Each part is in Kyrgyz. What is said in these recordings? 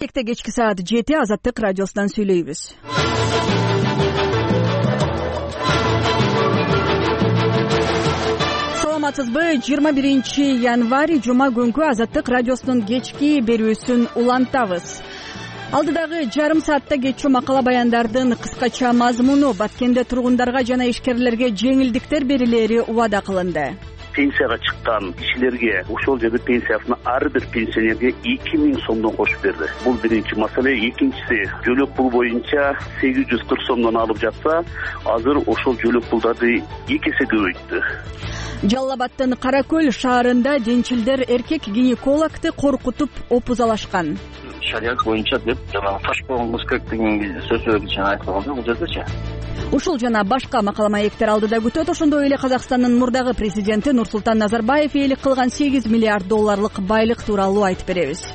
Кечки саат 7 Азаттык радиосунан сүйлөйбүз. Саламатсызбы? 21 январь жума күнкү Азаттык радиосунун кечки берүүсүн улантабыз. Алдыдагы жарым саатта кетчү макала баяндардын кыскача мазмуну Баткенде тургундарга жана ишкерлерге жеңилдиктер берилери убада кылынды. Пенсияга чыккан кишилерге ошол жерде пенсиясына ар бир пенсионерге 2000 сомдон кошуп берди. Бул биринчи маселе. Экинчиси, жөлөк пул боюнча 840 сомдон алып жатса, азыр ошол жөлөк пулдарды 2 эсе көбөйттү. Жалал Абадтын Каракөл шаарында денчилдер эркек гинекологду коркутуп опузалашкан. Шарият боюнча деп жанагы таш болгон кыз керек деген сөздөр айтылган бул жердечи. Ушул жана башка макала маектер алдыда күтөт. Ошондой эле Казакстандын мурдагы президенти Нурсултан Назарбаев ээлик кылган 8 миллиард долларлык байлык тууралуу айтып беребиз.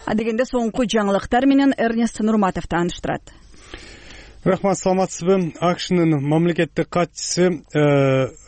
Адегенде соңку жаңылыктар менен Эрнест Нурматов тааныштырат. Рахмат, саламатсызбы? АКШнын мамлекеттик катчысы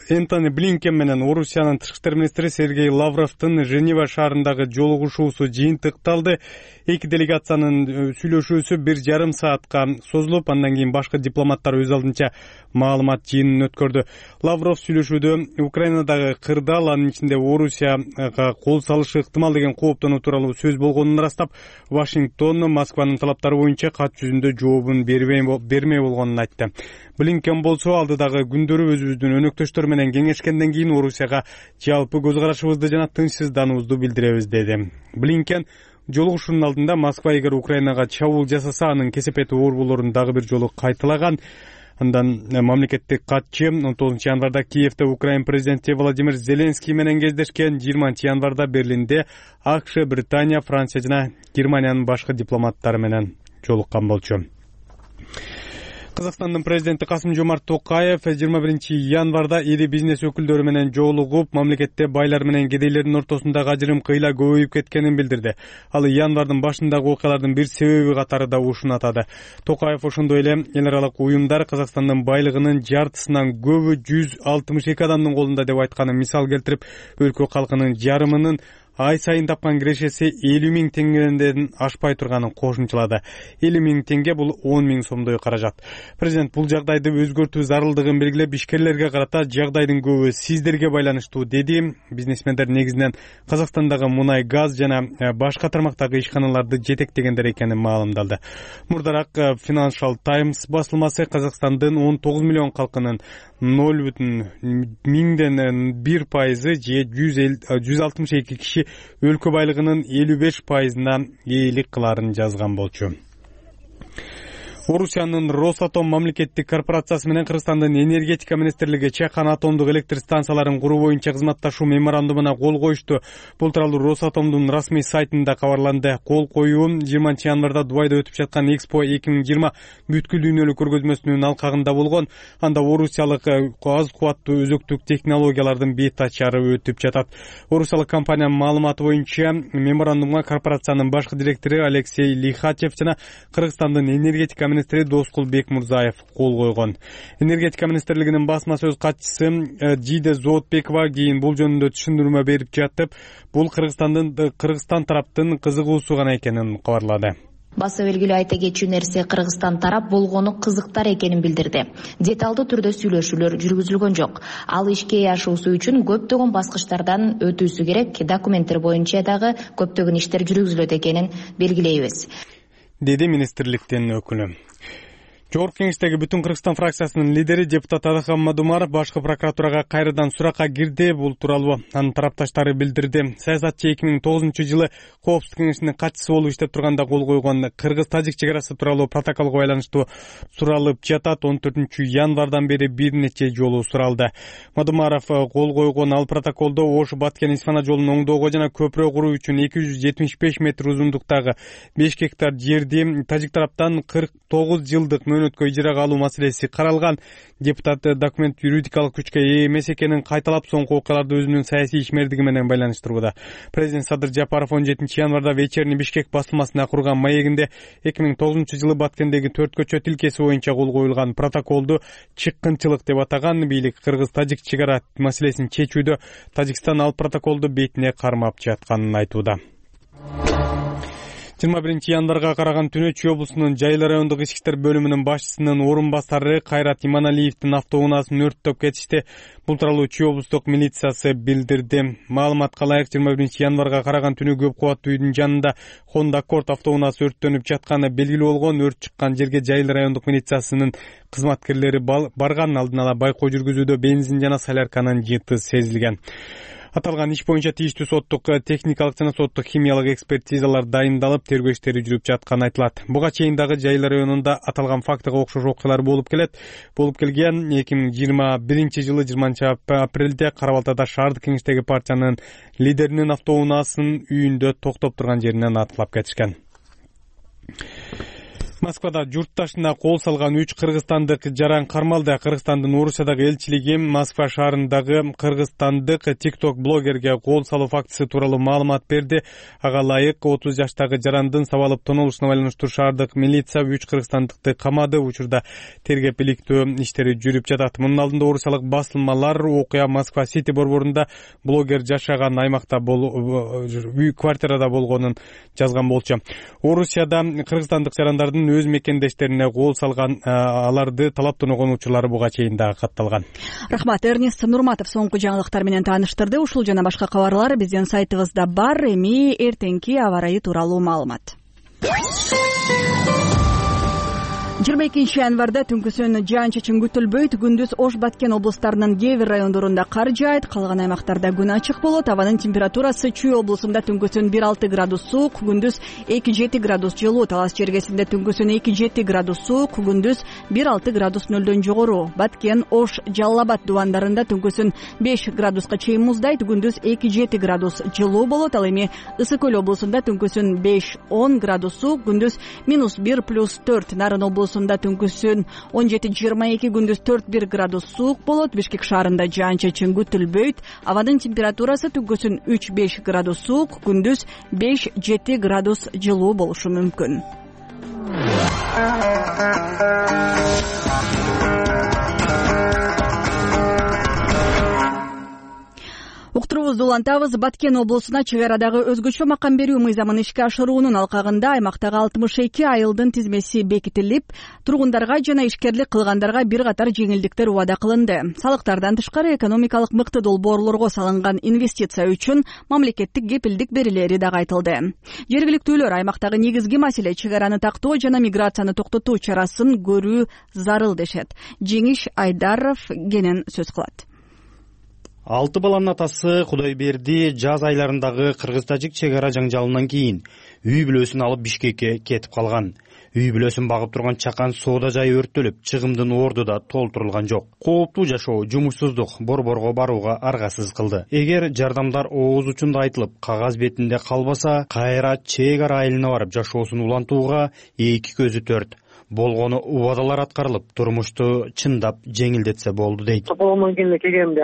Энтони Блинкен менен Орусиянын тышкы иштер министри Сергей Лавровдун Женева шаарындагы жолугушуусу жыйынтыкталды. Эки делегациянын сүйлөшүүсү 1,5 саатка созулуп, андан кийин башкы дипломаттар өз алдынча маалымат жыйынын өткөрдү. Лавров сүйлөшүүдө Украинадагы кырдаал, анын ичинде Орусияга кол салышы ыктымал деген кооптонуу тууралуу сөз болгонун ырастап, Вашингтон Москванын талаптары боюнча кат жүзүндө жообун бермей болгонун айтты. Блинкен болсо алдыдагы күндөрү өзүбүздүн өнөктөштөр менен кеңешкенден кийин Орусияга жалпы көз карашыбызды жана тынчсыздануубузду билдиребиз деди. Блинкен жолугушуунун алдында Москва эгер Украинага чабуул жасаса, анын кесепети оор болорун дагы бир жолу кайталаган. Андан мамлекеттик катчы 19 январда Киевде Украин президенти Владимир Зеленский менен кездешкен. 20 январда Берлинде АКШ, Британия, Франция жана Германиянын башкы дипломаттары менен жолуккан болчу. Казакстандын президенти Касым-Жомарт Токаев 21 январда ири бизнес өкүлдөрү менен жолугуп, мамлекетте байлар менен кедейлердин ортосундагы ажырым кыйла көбөйүп кеткенин билдирди. Ал январдын башындагы окуялардын бир себеби катары да ушуну атады. Токаев ошондой эле эл аралык уюмдар Казакстандын байлыгынын жартысынан көбү 162 адамдын колунда деп айтканын мисал келтирип, өлкө калкынын жарымынын ай сайын тапкан кирешеси 50 000 теңгеден ашпай турганын кошумчалады. 50 000 теңге бул 10 000 сомдой каражат. Президент бул жагдайды өзгөртүү зарылдыгын белгилеп, ишкерлерге карата жагдайдын көбү сиздерге байланыштуу деди. Бизнесмендер негизинен Казакстандагы мунай, газ жана башка тармактагы ишканаларды жетектегендер экенин маалымдалды. Мурдараак Financial Times басылмасы Казакстандын 19 миллион калкынын 0,1% же 162 киши өлкө байлыгынын 55%-на ээлик кыларын жазган болчу. Орусиянын Росатом мамлекеттик корпорациясы менен Кыргызстандын энергетика министрлиги Чакан атомдук электр станцияларын куруу боюнча кызматташуу меморандумуна кол коюшту. Бул тууралуу Росатомдун расмий сайтында кабарланды. Кол коюу 20 январда Дубайда өтүп жаткан Экспо 2020 бүткүл дүйнөлүк көргөзмөсүнүн алкагында болгон. Анда орусиялык аз кубаттуу өзөктүк технологиялардын бет ачары өтүп жатат. Орусиялык компаниянын маалыматы боюнча меморандумга корпорациянын башкы директору Алексей Лихачев жана Кыргызстандын энергетика министри Доскул Бекмурзаев кол койгон. Энергетика министрлигинин басма сөз катчысы Жиде Зоотбекова кийин бул жөнүндө түшүндүрмө берип жатып, бул Кыргызстан тараптын кызыгуусу гана экенин кабарлады. Баса белгилүү айта кетчү нерсе, Кыргызстан тарап болгону кызыктар экенин билдирди. Деталдуу түрдө сүйлөшүүлөр жүргүзүлгөн жок. Ал ишке ашуусу үчүн көптөгөн баскычтардан өтүүсү керек, документтер боюнча дагы көптөгөн иштер жүргүзүлөт экенин белгилейбиз, деди министрликтин өкүлү. Жогорку кеңештеги Бүтүн Кыргызстан фракциясынын лидери депутат Адахан Мадумаров башкы прокуратурага кайрадан суракка кирди. Бул тууралуу анын тарапташтары билдирди. Саясатчы 2009-жылы Коопсуздук кеңешинин катчысы болуп иштеп турганда кол койгон Кыргыз-Тажик чек арасы тууралуу протоколго байланыштуу суралып жатат. 14 январдан бери бир нече жолу суралды. Мадумаров кол койгон ал протоколдо Ош-Баткен-Исфана жолун оңдоого жана көпүрө куруу үчүн 275 метр узундуктагы 5 гектар жерди Тажик тараптан 49 жылдык мөөнөткө ижарага алуу маселеси каралган. Депутат документ юридикалык күчкө ээ эмес экенин кайталап, соңку окуяларды өзүнүн саясий ишмердиги менен байланыштырууда. Президент Садыр Жапаров 17 январда Вечерний Бишкек басылмасына курган маегинде 2009-жылы Баткендеги 4 көчө тилкеси боюнча кол коюлган протоколду чыккынчылык деп атаган. Бийлик Кыргыз-Тажик чек ара маселесин чечүүдө Тажикстан ал протоколду бетине кармап жатканын айтууда. 21 январга караган түнү Чүй облусунун Жайыл райондук ички иштер бөлүмүнүн башчысынын орун басары Кайрат Иманалиевдин автоунаасын өрттөп кетишти. Бул тууралуу Чүй облустук милициясы билдирди. Маалыматка ылайык 21 январга караган түнү көп кабаттуу үйдүн жанында Honda Accord автоунаасы өрттөнүп жатканы белгилүү болгон. Өрт чыккан жерге Жайыл райондук милициясынын кызматкерлери барган. Алдын ала байкоо жүргүзүүдө бензин жана солярканын жыты сезилген. Аталган иш боюнча тийиштүү соттук техникалык жана соттук химиялык экспертизалар дайындалып, тергөө иштери жүрүп жатканы айтылат. Буга чейин дагы Жайыл районунда аталган фактыга окшош окуялар болуп келген. 2021 жылы 20 апрелде Кара Балтада шаардык кеңештеги партиянын лидеринин автоунаасын үйүндө токтоп турган жеринен атылап кетишкен. Москвада журтташына кол салган 3 кыргызстандык жаран кармалды. Кыргызстандын Орусиядагы элчилиги Москва шаарындагы кыргызстандык TikTok блогерге кол салуу фактысы тууралуу маалымат берди. Ага ылайык 30 жаштагы жарандын сабалып тонулушуна байланыштуу шаардык милиция 3 кыргызстандыкты камады. Учурда тергеп иликтөө иштери жүрүп жатат. Мунун алдында орусиялык басылмалар окуя Москва Сити борборунда блогер жашаган аймакта үй квартирада болгонун жазган болчу. Орусияда кыргызстандык жарандардын өз мекендештерине кол салган, аларды талаптан огон учурлары буга чейин дагы катталган. Рахмат. Эрнест Нурматов соңку жаңылыктар менен тааныштырды. Ушул жана башка кабарлар биздин сайтыбызда бар. Эми эртеңки аба ырайы тууралуу маалымат. 22 январда түнкүсүн жаан-чачын күтүлбөйт. Күндүз Ош, Баткен облустарынын кээ бир райондорунда кар жаайт. Калган аймактарда күн ачык болот. Абанын температурасы Чүй облусунда түнкүсүн 1-6 градус суук, күндүз 2-7 градус жылуу. Талас чергесинде түнкүсүн 2-7 градус суук, күндүз 1-6 градус нөлдөн жогору. Баткен, Ош, Жалал Абад дубандарында түнкүсүн 5 градуска чейин муздайт, күндүз 2-7 градус жылуу болот. Ал эми Ысык Көл облусунда түнкүсүн 5-10 градус суук, күндүз -1+4. Нарын облусунда түнкүсүн 17-22, күндүз 4-1 градус суук болот. Бишкек шаарында жаан-чачын күтүлбөйт. Абанын температурасы түнкүсүн 3-5 градус суук, күндүз 5-7 градус жылуу болушу мүмкүн. Уктуруубузду улантабыз. Баткен облусуна чек арадагы өзгөчө макам берүү мыйзамын ишке ашыруунун алкагында аймактагы 62 айылдын тизмеси бекитилип, тургундарга жана ишкерлик кылгандарга бир катар жеңилдиктер убада кылынды. Салыктардан тышкары экономикалык мыкты долбоорлорго салынган инвестиция үчүн мамлекеттик кепилдик берилери дагы айтылды. Жергиликтүүлөр аймактагы негизги маселе чек араны тактоо жана миграцияны токтотуу чарасын көрүү зарыл дешет. Жеңиш Айдаров кенен сөз кылат. 6 баланын атасы Кудайберди жаз айларындагы кыргыз-тажик чек ара жаңжалынан кийин үй бүлөсүн алып Бишкекке кетип калган. Үй бүлөсүн багып турган чакан соода жайы өрттөлүп, чыгымдын орду да толтурулган жок. Кооптуу жашоо, жумушсуздук борборго барууга аргасыз кылды. Эгер жардамдар ооз учунда айтылып, кагаз бетинде калбаса, кайра чек ара айылына барып жашоосун улантууга эки көзү төрт. Болгону убадалар аткарылып, турмушту чындап жеңилдетсе болду дейт. Тополомон келе келгенде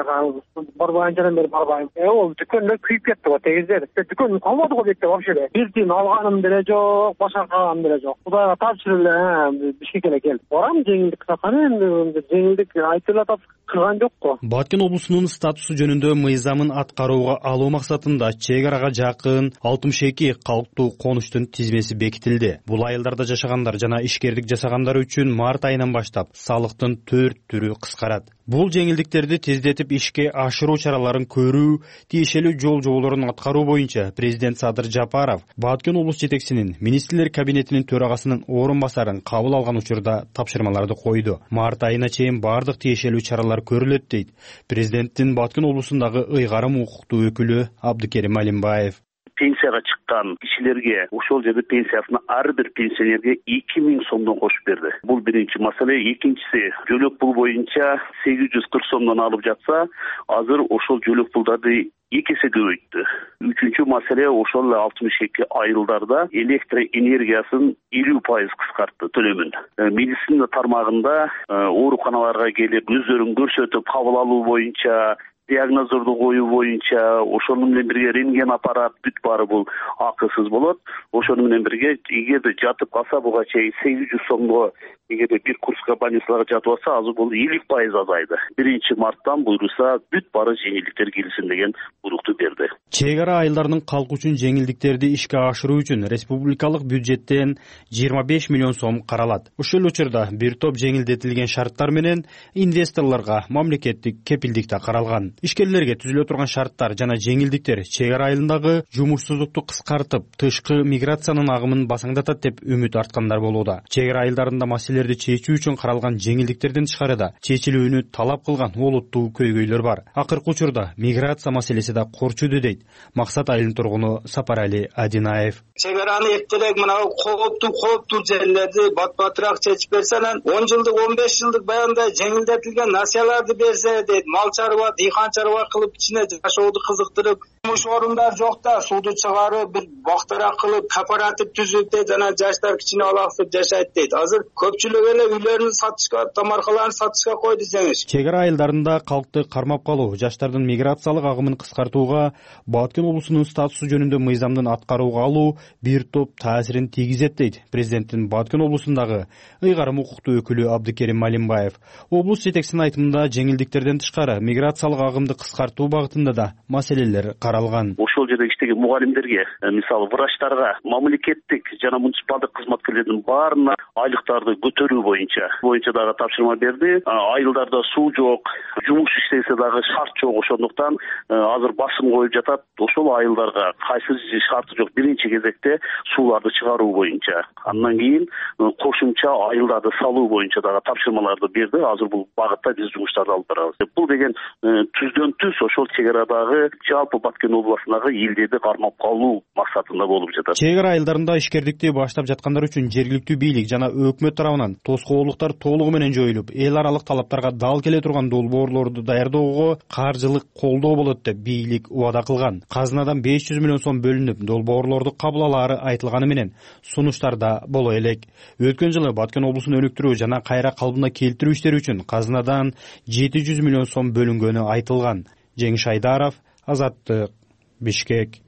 барбайынчадан бери барбайм. Ол дүкөндө күйүп кетти го тегиздер. Дүкөн калмады го бетте вообще. Бир тиын алганым деле жок, башка калганым деле жок. Кудайга тапшырып эле Бишкекке эле келип. Барам жеңилдик саканы энди жеңилдик айтылып атат. Кылган жок го. Баткен облусунун статусу жөнүндө мыйзамын аткарууга алуу максатында чек арага жакын 62 калктуу конуштун тизмеси бекитилди. Бул айылдарда жашагандар жана ишкерлик жасагандар үчүн март айынан баштап салыктын 4 түрү кыскарат. Бул жеңилдиктерди тездетип ишке ашыруу чараларын көрүү, тиешелүү жол жоболорун аткаруу боюнча президент Садыр Жапаров Баткен облус жетекчисинин министрлер кабинетинин төрагасынын орун басарын кабыл алган учурда тапшырмаларды койду. Март айына чейин бардык тиешелүү чаралар көрүлөт дейт президенттин Баткен облусундагы ыйгарым укуктуу өкүлү Абдыкерим Алимбаев. Пенсияга чыккан кишилерге ошол жерде пенсиясына ар бир пенсионерге 2000 сомдон кошуп берди. Бул биринчи маселе. Экинчиси, жөлөк пул боюнча 840 сомдон алып жатса, азыр ошол жөлөк пулдарды 2 эсе көбөйттү. Үчүнчү маселе, ошол 62 айылдарда электр энергиясын 50% кыскартты төлөмүн. Медицина тармагында ооруканаларга келип өздөрүн көрсөтүп кабыл алуу боюнча, диагноздорду коюу боюнча, ошону менен бирге рентген аппарат бүт баары бул акысыз болот. Ошону менен бирге эгерде жатып калса буга чейин 800 сомго эгерде бир Курская больницаларга жатып алса, азыр бул 50% азайды. 1-марттан буйруса бүт бары жеңилдиктер келсин деген буйрукту берди. Чек ара айылдарынын калкы үчүн жеңилдиктерди ишке ашыруу үчүн республикалык бюджеттен 25 миллион сом каралат. Ушул учурда бир топ жеңилдетилген шарттар менен инвесторлорго мамлекеттик кепилдик да каралган. Ишкерлерге түзүлө турган шарттар жана жеңилдиктер чек ара айылындагы жумушсуздукту кыскартып, тышкы миграциянын агымын басаңдатат деп үмүт арткандар болууда. Чек ара айылдарында маселелерди чечүү үчүн каралган жеңилдиктердин тышкарыда чечилүүнү талап кылган олуттуу көйгөйлөр бар. Акыркы учурда миграция маселеси да корчуду дейт Максат айылынын тургуну Сапарали Адинаев. Чек араны эртерээк мына кооптуу жерлерди бат-батыраак чечип берсе, 10 жылдык 15 жылдык баягындай жеңилдетилген насыяларды берсе дейт. Мал чарба, дыйкан чарба кылып ичине жашооду кызыктырып, жумуш орундар жок да, сууду чыгарып, бир бактарак кылып, кооператив түзүп дейт, жана жаштар кичине алаксып жашайт дейт. Азыр көпчүлүк эле үйлөрүн сатышка, тамаркаларын сатышка койду деңиз. Чек ара айылдарында калкты кармап калуу, жаштардын миграциялык агымын кыскартууга, Баткен облусунун статусу жөнүндө мыйзамдын аткарууга алуу бир топ таасирин тийгизет дейт президенттин Баткен облусундагы ыйгарым укуктуу өкүлү Абдыкерим Малимбаев. Облус жетекчисинин айтымында жеңилдиктерден тышкары миграциялык агымды кыскартуу багытында да маселелер каралган. Ошол жерде иштеген мугалимдерге, мисалы врачтарга, мамлекеттик жана муниципалдык кызматкерлердин баарына айлыктарды көтөрүү боюнча дагы тапшырма берди. Айылдарда суу жок, жумуш иштесе дагы шарт жок, ошондуктан азыр басым коюп жатат. Ошол айылдарга кайсы шарты жок биринчи кезекте сууларды чыгаруу боюнча, андан кийин кошумча айылдарды салуу боюнча дагы тапшырмаларды берди. Азыр бул багытта биз жумуштарды алып барабыз. Бул деген түздөн түз ошол чек арадагы жалпы Баткен областындагы элдерди кармап калуу максатында болуп жатат. Чек ара айылдарында ишкердикти баштап жаткандар үчүн жергиликтүү бийлик жана өкмөт тарабынан тоскоолдуктар толугу менен жоюлуп, эл аралык талаптарга дал келе турган долбоорлорду даярдоого каржылык колдоо болот деп бийлик убада кылган. Казынадан 500 миллион сом бөлүнүп, долбоорлорду кабыл алаары айтылганы менен сунуштар да боло элек. Өткөн жылы Баткен облусун өнүктүрүү жана кайра калыбына келтирүү иштери үчүн казынадан 700 миллион сом бөлүнгөнү айтылган. Жеңиш Айдаров, Азаттык, Бишкек.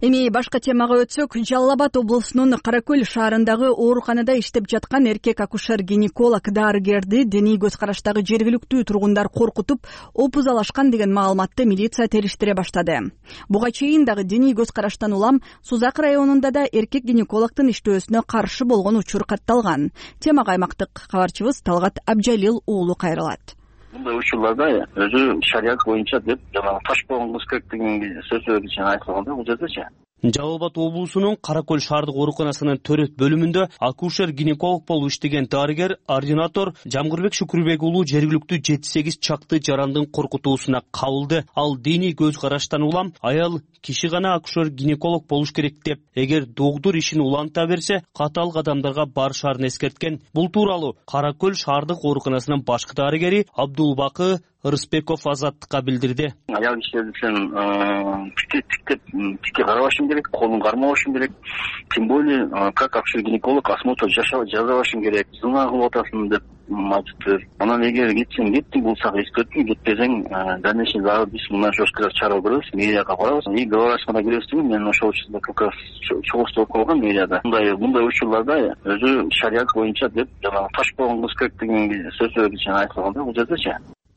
Эми башка темага өтсөк, Жалал Абад облусунун Каракөл шаарындагы ооруканада иштеп жаткан эркек акушер-гинеколог дарыгерди диний көз караштагы жергиликтүү тургундар коркутуп, опузалашкан деген маалыматты милиция териштире баштады. Буга чейин дагы диний көз караштан улам Сузак районунда да эркек гинекологдун иштөөсүнө каршы болгон учур катталган. Темага аймактык кабарчыбыз Талгат Абжалил уулу кайрылат. Мындай учурларда өзү шарият боюнча деп жанагы таш болгон кыз керек деген сөздөр үчүн айтылган да, бул жердечи. Жалал Абад облусунун Каракөл шаардык ооруканасынын төрөт бөлүмүндө акушер-гинеколог болуп иштеген дарыгер ординатор Жамгырбек Шукурбек уулу жергиликтүү 7-8 чакты жарандын коркутуусуна кабылды. Ал диний көз караштан улам аял киши гана акушер-гинеколог болуш керек деп, эгер догдур ишин уланта берсе, катаал кадамдарга барышаарын эскерткен. Бул тууралуу Каракөл шаардык ооруканасынын башкы дарыгери Абдулбакы Рыспеков Азаттыкка билдирди. Аял кишилер үчүн тикке карабашым керек, колун кармабашым керек. Тем более, как акушер-гинеколог осмотр жасабашым керек. Зына кылып атасың деп айтыптыр. Анан эгер кеттиң болсак эскерттим, кетпесең дальнейший дагы биз мына жесткалар чарап беребиз, мэрияга барабыз. И говорашмада келесизби, мен ошол учурда как раз чогулуштуруп койгон мэрияда. Мындай учурларда өзү шарият боюнча деп жанагы таш болгон кыз керек деген сөздөр үчүн айтылган да, бул жердечи.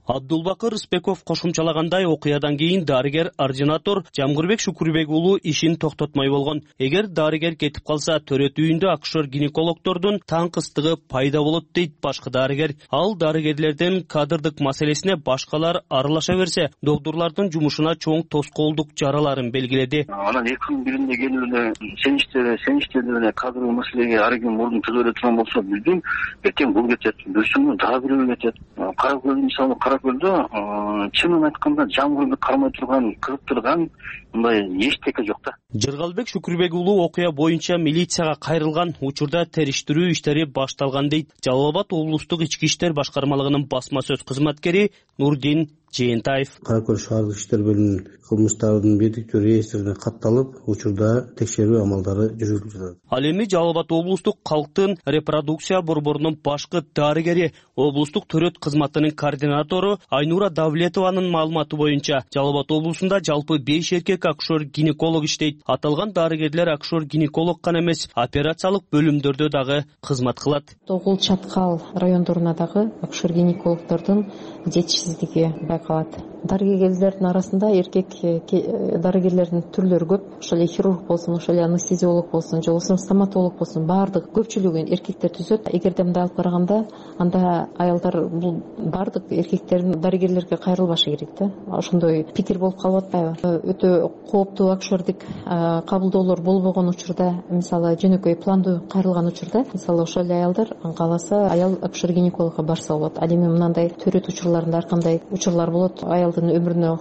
Абдулбакыр Рыспеков кошумчалагандай, окуядан кийин дарыгер-ординатор Жамгырбек Шукурбек уулу ишин токтотмой болгон. Эгер дарыгер кетип калса, төрөт үйүндө акушер-гинекологдордун таңкыстыгы пайда болот дейт башкы дарыгер. Ал дарыгерлердин кадрдык маселесине башкалар аралаша берсе, докторлордун жумушуна чоң тоскоолдук жараларын белгиледи. Анан 2 күн биринде келип эле сен иштеди эле кадрлык маселеге ар ким мурдун түзөлө турган болсо, билдим, эртең бул кетет, бүрсүңү дагы бирөө кетет. Каракөл мисалы Каракөлдө чынын айтканда Жамгырды кармай турган, кызыктырган мындай эчтеке жок да. Жыргалбек Шукурбек уулу окуя боюнча милицияга кайрылган. Учурда териштирүү иштери башталган дейт Жалал Абад облустук ички иштер башкармалыгынын басма сөз кызматкери Нурдин Жээнтаев. Кара Көл шаардык иштер бөлүмүнүн кылмыштардын бирдиктүү реестрине катталып, учурда текшерүү амалдары жүргүзүлүп жатат. Ал эми Жалал Абад облустук калктын репродукция борборунун башкы дарыгери, облустук төрөт кызматынын координатору Айнура Давлетованын маалыматы боюнча, Жалал Абад облусунда жалпы 5 эркек акушер-гинеколог иштейт. Аталган дарыгерлер акушер-гинеколог гана эмес, операциялык бөлүмдөрдө дагы кызмат кылат. Тогул Чаткал райондоруна дагы акушер-гинекологдордун жетишсиздиги байкалат. Дарыгерлердин арасында эркек дарыгерлердин түрлөрү көп. Ошол эле хирург болсун, ошол эле анестезиолог болсун, же болбосо стоматолог болсун, баардык көпчүлүгүн эркектер түзөт. Эгерде мындай алып караганда, анда аялдар бул баардык эркектердин дарыгерлерге кайрылбашы керек да. Ошондой пикир болуп калып атпайбы? Өтө кооптуу акушердик кабылдоолор болбогон учурда, мисалы жөнөкөй пландуу кайрылган учурда, мисалы ошол эле аялдар кааласа аял акушер-гинекологко барса болот. Ал эми мындай төрөт учурларында ар кандай учурлар болот, аялдын өмүрүнө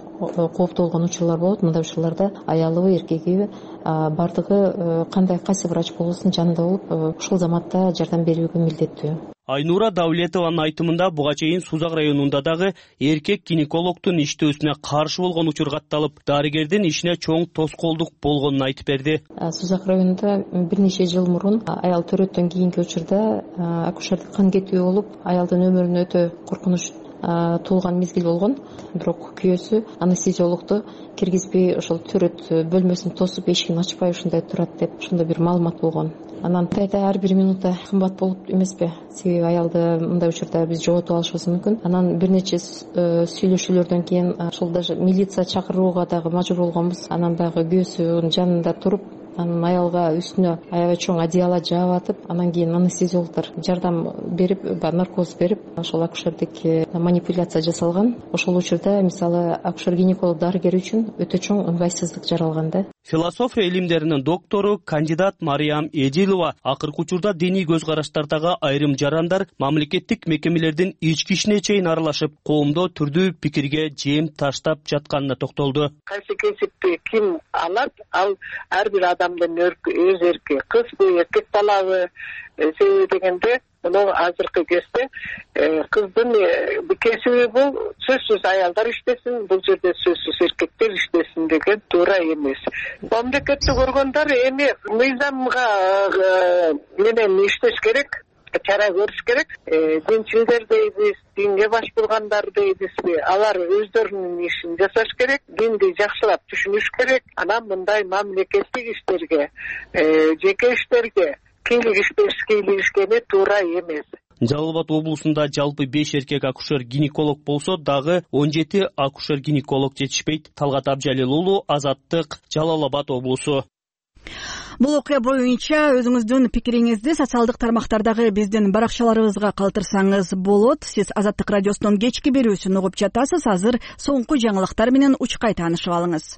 кооптуу болгон учурлар болот. Мындай учурларда аялыбы, эркегиби баардыгы кандай кайсы врач болбосун жанында болуп, ушул заматта жардам берүүгө милдеттүү. Айнура Давлетованын айтымында буга чейин Сузак районунда дагы эркек гинекологдун иштөөсүнө каршы болгон учур катталып, дарыгердин ишине чоң тоскоолдук болгонун айтып берди. Сузак районунда бир нече жыл мурун аял төрөттөн кийинки учурда акушердик кан кетүү болуп, аялдын өмүрүнө өтө коркунуч туулган мезгил болгон. Бирок күйөөсү анестезиологду киргизбей, ошол төрөт бөлмөсүн тосуп, эшигин ачпай ушундай турат деп, ошондой бир маалымат болгон. Анан ар бир минута кымбат болуп эмеспи? Себеби аялды мындай учурда биз жоготуп алышыбыз мүмкүн. Анан бир нече сүйлөшүүлөрдөн кийин ошол даже милиция чакырууга дагы мажбур болгонбуз. Анан дагы күйөөсүнүн жанында туруп, анан аялга үстүнө аябай чоң одеяло жаап атып, анан кийин анестезиологдор жардам берип, наркоз берип, ошол акушердик манипуляция жасалган. Ошол учурда мисалы акушер-гинеколог дарыгер үчүн өтө чоң ыңгайсыздык жаралган да. Философия илимдеринин доктору, кандидат Мариям Эдилова акыркы учурда диний көз караштардагы айрым жарандар мамлекеттик мекемелердин ички ишине чейин аралашып, коомдо түрдүү пикирге жем таштап жатканына токтолду. Кайсы кесипти ким алат, ал ар бир адамдын өз эрки. Кызбы, эркек балабы, себеби дегенде мына азыркы кезде кыздын кесиби бул сөзсүз аялдар иштесин, бул жерде сөзсүз эркектер иштесин деген туура эмес. Мамлекетти көргөндөр эми мыйзамга менен иштеш керек, чара көрүш керек. Динчилдер дейбиз, динге баш болгондар дейбизби, алар өздөрүнүн ишин жасаш керек, динди жакшылап түшүнүш керек. Анан мындай мамлекеттик иштерге, жеке иштерге кийлигишкени туура эмес. Жалал Абад облусунда жалпы 5 эркек акушер-гинеколог болсо дагы 17 акушер-гинеколог жетишпейт. Талгат Абжалил уулу, Азаттык, Жалал Абад облусу. Бул окуя боюнча өзүңүздүн пикириңизди социалдык тармактардагы биздин баракчаларыбызга калтырсаңыз болот. Сиз Азаттык радиосунун кечки берүүсүн угуп жатасыз. Азыр соңку жаңылыктар менен учкай таанышып алыңыз.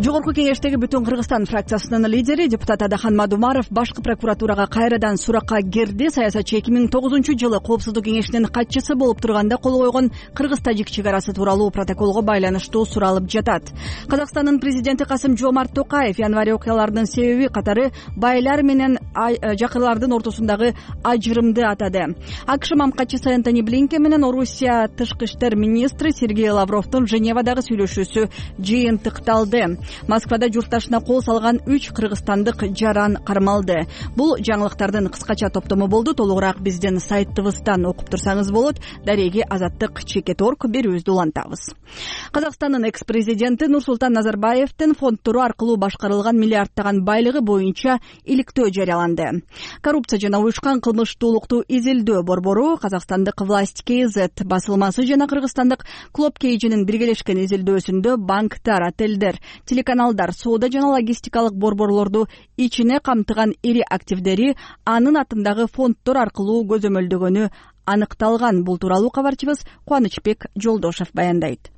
Жогорку кеңештеги Бүтүн Кыргызстан фракциясынын лидери депутат Адахан Мадумаров башкы прокуратурага кайрадан суракка кирди. Саясатчы 2009-жылы Коопсуздук кеңешинин катчысы болуп турганда кол койгон кыргыз-тажик чек арасы тууралуу протоколго байланыштуу суралып жатат. Казакстандын президенти Касым-Жомарт Токаев январь окуяларынын себеби катары байлар менен жакырлардын ортосундагы ажырымды атады. АКШ мамкатчысы Энтони Блинкен менен Орусия тышкы иштер министри Сергей Лавровдун Женевадагы сүйлөшүүсү жыйынтыкталды. Москвада журтташына кол салган 3 кыргызстандык жаран кармалды. Бул жаңылыктардын кыскача топтому болду. Толугураак биздин сайтыбыздан окуп турсаңыз болот. Дареги Азаттык Чекет.орг берүүбүздү улантабыз. Казакстандын экс-президенти Нурсултан Назарбаевдин фонддору аркылуу башкарылган миллиардтаган байлыгы боюнча иликтөө жарыяланды. Коррупция жана уюшкан кылмыштуулукту изилдөө борбору, казакстандык Власть КЗ басылмасы жана кыргызстандык Клоп Кейжинин биргелешкен изилдөөсүндө банктар, отелдер, телеканалдар, соода жана логистикалык борборлорду ичине камтыган ири активдери анын атындагы фонддор аркылуу көзөмөлдөгөнү аныкталган. Бул тууралуу кабарчыбыз Кубанычбек Жолдошев баяндайт.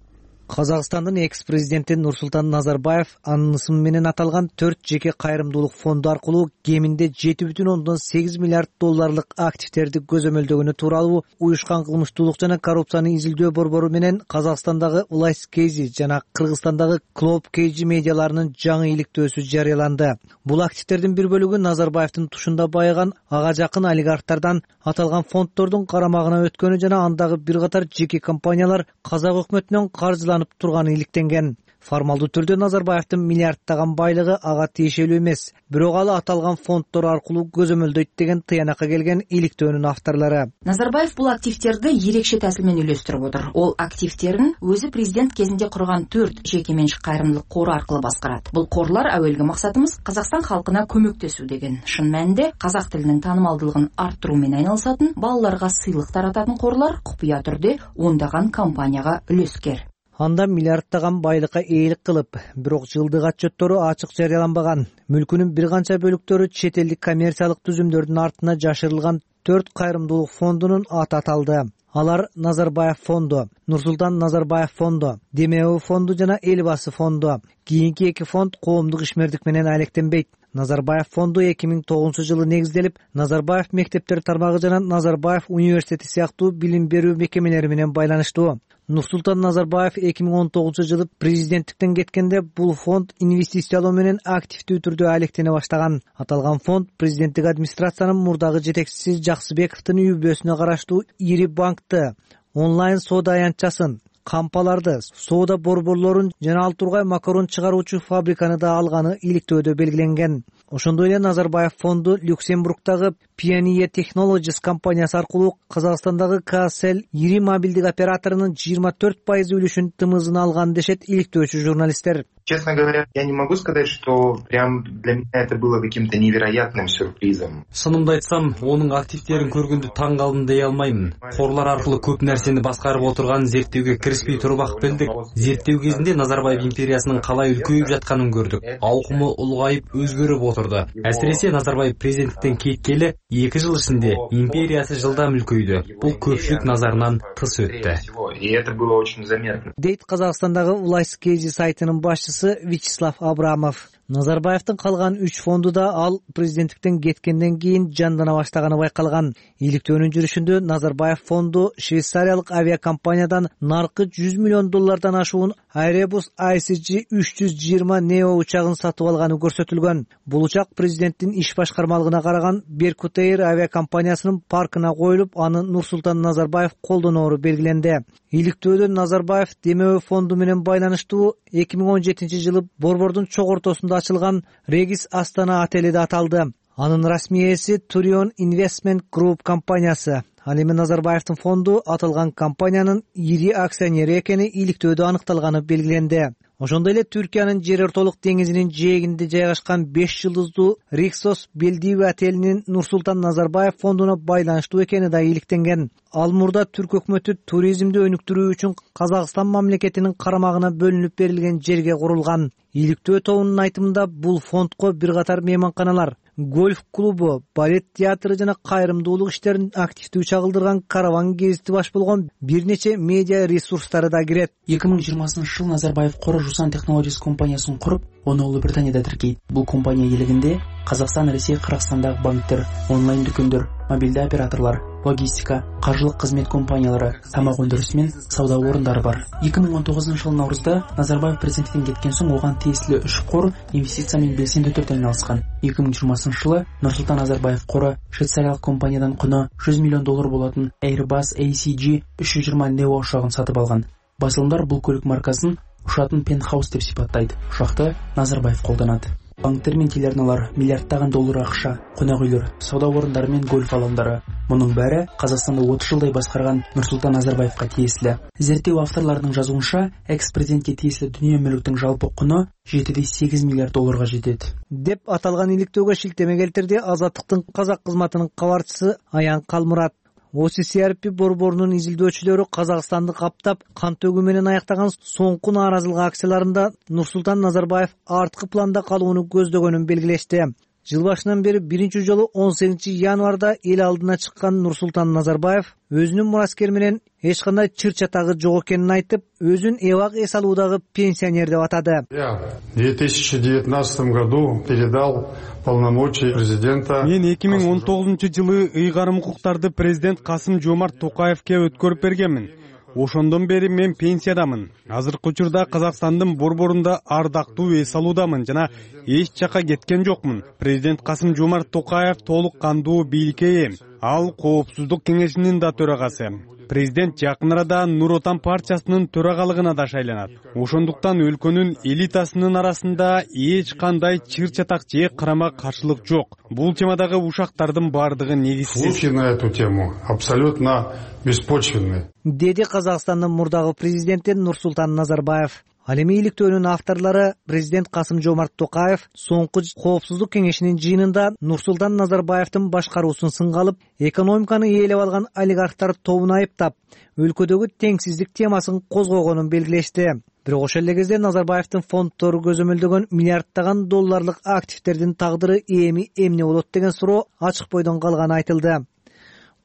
Казакстандын экс-президенти Нурсултан Назарбаев анын ысымы менен аталган 4 жеке кайрымдуулук фонду аркылуу кеминде 7,8 миллиард долларлык активтерди көзөмөлдөгөнү тууралуу уюшкан кылмыштуулук жана коррупцияны изилдөө борбору менен Казакстандагы Улайс Кейзи жана Кыргызстандагы Клоп Кейджи медиаларынын жаңы иликтөөсү жарыяланды. Бул активтердин бир бөлүгү Назарбаевдин тушунда байыган ага жакын олигархтардан аталган фонддордун карамагына өткөнү жана андагы бир катар жеке компаниялар казак өкмөтүнөн каржыланып турганы иликтенген. Формалдуу түрдө Назарбаевдин миллиарддаган байлыгы ага тиешелүү эмес, бирок ал аталган фонддор аркылуу көзөмөлдөйт деген тыянакка келген иликтөөнүн авторлору. Назарбаев бул активтерди ерекше тәсил менен үйлөстүрүп отур. Ол активтерин өзү президент кезинде курган 4 жеке менчик кайрымдуулук кору аркылуу баскарат. Бул корлар әүелги максатыбыз Казакстан халкына көмөктөсүү деген. Шын мәнинде казак тилинин таанымалдылыгын арттыруу менен айналышатын, балаларга сыйлык тарататын корлар купуя түрдө ондаган компанияга үлескер. Анда миллиарддаган байлыкка ээлик кылып, бирок жылдык отчеттору ачык жарыяланбаган. Мүлкүнүн бир канча бөлүктөрү чет элдик коммерциялык түзүмдөрдүн артына жашырылган 4 кайрымдуулук фондунун аты аталды. Алар Назарбаев фонду, Нурсултан Назарбаев фонду, Демеу фонду жана Элбасы фонду. Кийинки 2 фонд коомдук ишмердик менен алектенбейт. Назарбаев фонду 2009-жылы негизделип, Назарбаев мектептер тармагы жана Назарбаев университети сыяктуу билим берүү мекемелери менен байланыштуу. Нурсултан Назарбаев 2019-жылы президенттиктен кеткенде бул фонд инвестициялоо менен активдүү түрдө алектене баштаган. Аталган фонд президенттик администрациянын мурдагы жетекчиси Жаксыбековдун үй бүлөсүнө караштуу ири банкты, онлайн соода аянтчасын, кампаларды, соода борборлорун жана ал тургай макарон чыгаруучу фабриканы да алганы иликтөөдө белгиленген. Ошондой эле Назарбаев фонду Люксембургдагы Pioneer Technologies компаниясы аркылуу Казакстандагы Kcell ири мобилдик операторунун 24% үлүшүн тымызына алган дешет иликтөөчү журналисттер. Честно говоря, я не могу сказать, что прям для меня это было каким-то невероятным сюрпризом. Шынымды айтсам, онун активтерин көргөндө таң калдым дей алмаймын. Корлар аркылуу көп нерсени баскарып отурганын зерттөөгө киришпей туруп ак билдик. Зерттөө кезинде Назарбаев империясынын калай үлкөйүп жатканын көрдүк. Аукуму улгайып өзгөрүп отурду. Әсиресе Назарбаев президенттиктен кеткеле 2 жыл ичинде империясы жылдам үлкөйдү. Бул көпчүлүк назарынан тыс өттү. И это было очень заметно. Дейт Казакстандагы Улайс Кейзи сайтынын башчысы Вячеслав Абрамов. Назарбаевдин калган 3 фонду да ал президенттиктен кеткенден кийин жандана баштаганы байкалган. Иликтөөнүн жүрүшүндө Назарбаев фонду швейцариялык авиакомпаниядан наркы $100 миллион ашуун Airbus ICG 320 Neo учагын сатып алганы көрсөтүлгөн. Бул учак президенттин иш башкармалыгына караган Беркут Эйр авиакомпаниясынын паркына коюлуп, аны Нурсултан Назарбаев колдоноору белгиленди. Иликтөөдө Назарбаев Демеу фонду менен байланыштуу 2017-жылы борбордун чок ортосунда ачылган Регис Астана отели да аталды. Анын расмий ээси Turion Investment Group компаниясы. Ал эми Назарбаевдин фонду аталган компаниянын ири акционери экени иликтөөдө аныкталганы белгиленди. Ошондой эле Түркиянын жер ортолук деңизинин жээгинде жайгашкан 5 жылдыздуу Риксос Белдиви отелинин Нурсултан Назарбаев фондуна байланыштуу экени да иликтенген. Ал мурда түрк өкмөтү туризмди өнүктүрүү үчүн Казакстан мамлекетинин карамагына бөлүнүп берилген жерге курулган. Иликтөө тобунун айтымында бул фондко бир катар мейманканалар, гольф клубу, балет театры жана кайрымдуулук иштерин активдүү чагылдырган караван гезити баш болгон бир нече медиа ресурстары да кирет. 2020-жыл Назарбаев Кора Жусан Technologies компаниясын куруп, оны Улуу Британияда тиркейт. Бул компания элегинде Казакстан, Ресей, Кыргызстандагы банктер, онлайн дүкөндөр, мобилдүү операторлор, логистика, каржылык кызмет компаниялары, тамак өндүрүшү менен сауда орундары бар. 2019-жылдын наурузда Назарбаев президенттиктен кеткен соң оган тиеселүү 3 кор инвестиция менен белсендүү түрдө айналышкан. 2020-жылы Нурсултан Назарбаев кору швейцариялык компаниядан куну $100 миллион болотун Airbus ACG 320 Neo учагын сатып алган. Басылымдар бул көлүк маркасын ушатын Penthouse деп сипаттайт. Ушакты Назарбаев колдонот. Банктер мен телеарналар, миллиарддаган доллар акча, конок үйлөр, сауда орундары мен гольф алаңдары. Мунун баары Казакстанды 30 жылдай баскарган Нурсултан Назарбаевка тиеселүү. Зерттөө авторлорунун жазуунча, экс-президентке тиеселүү дүйнө мүлктүн жалпы куну $7,8 миллиард жетет. Деп аталган иликтөөгө шилтеме келтирди Азаттыктын казак кызматынын кабарчысы Аян Калмурат. OCCRP борборунун изилдөөчүлөрү Казакстанды каптап, кан төгүү менен аяктаган соңку нааразылык акцияларында Нурсултан Назарбаев арткы планда калууну көздөгөнүн белгилешти. Жыл башынан бери биринчи жолу 18-январда эл алдына чыккан Нурсултан Назарбаев өзүнүн мураскери менен эч кандай чыр чатагы жок экенин айтып, өзүн эбак эс алуудагы пенсионер деп атады. Я в 2019 году передал полномочия президента. Мен 2019-жылы ыйгарым укуктарды президент Касым-Жомарт Токаевке өткөрүп бергенмин. Ошондон бери мен пенсиядамын. Азыркы учурда Казакстандын борборунда ардактуу эс алуудамын жана эч жака кеткен жокмун. Президент Касым-Жомарт Токаев толук кандуу бийликке ээ. Ал Коопсуздук кеңешинин да төрагасы. Президент жакын арада Нур Отан партиясынын төрагалыгына да шайланат. Ошондуктан өлкөнүн элитасынын арасында эч кандай чыр чатак же карама каршылык жок. Бул темадагы ушактардын бардыгы негизсиз. Слухи на эту тему абсолютно беспочвенный. Деди Казакстандын мурдагы президенти Нурсултан Назарбаев. Ал эми иликтөөнүн авторлору президент Касым-Жомарт Токаев соңку Коопсуздук кеңешинин жыйынында Нурсултан Назарбаевдин башкаруусун сынга алып, экономиканы ээлеп алган олигархтар тобун айыптап, өлкөдөгү теңсиздик темасын козгогонун белгилешти. Бирок ошол эле кезде Назарбаевдин фонддору көзөмөлдөгөн миллиарддаган долларлык активдердин тагдыры эми эмне болот деген суроо ачык бойдон калганы айтылды.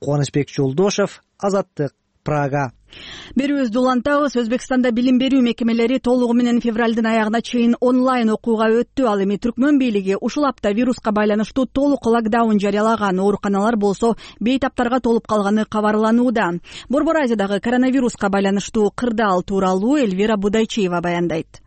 Кубанычбек Жолдошев, Азаттык, Прага. Берүүбүздү улантабыз. Өзбекстанда билим берүү мекемелери толугу менен февралдын аягына чейин онлайн окууга өттү. Ал эми Түркмөн бийлиги ушул апта вируска байланыштуу толук локдаун жарыялаган. Ооруканалар болсо бейтаптарга толуп калганы кабарланууда. Борбор Азиядагы коронавируска байланыштуу кырдаал тууралуу Эльвира Будайчиева баяндайт.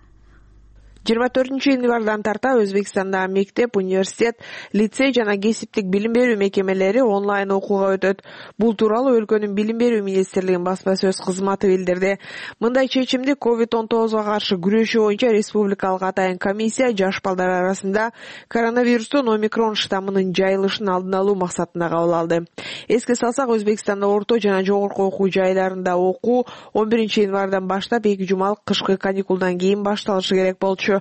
24-январдан тарта Өзбекстанда мектеп, университет, лицей жана кесиптик билим берүү мекемелери онлайн окууга өтөт. Бул тууралуу өлкөнүн билим берүү министрлигинин басма сөз кызматы билдирди. Мындай чечимди COVID-19 каршы күрөшүү боюнча республикалык атайын комиссия жаш балдар арасында коронавирустун омикрон штаммынын жайылышын алдын алуу максатында кабыл алды. Эске салсак, Өзбекстанда орто жана жогорку окуу жайларында окуу 11-январдан баштап 2 жумалык кышкы каникулдан кийин башталышы керек болчу.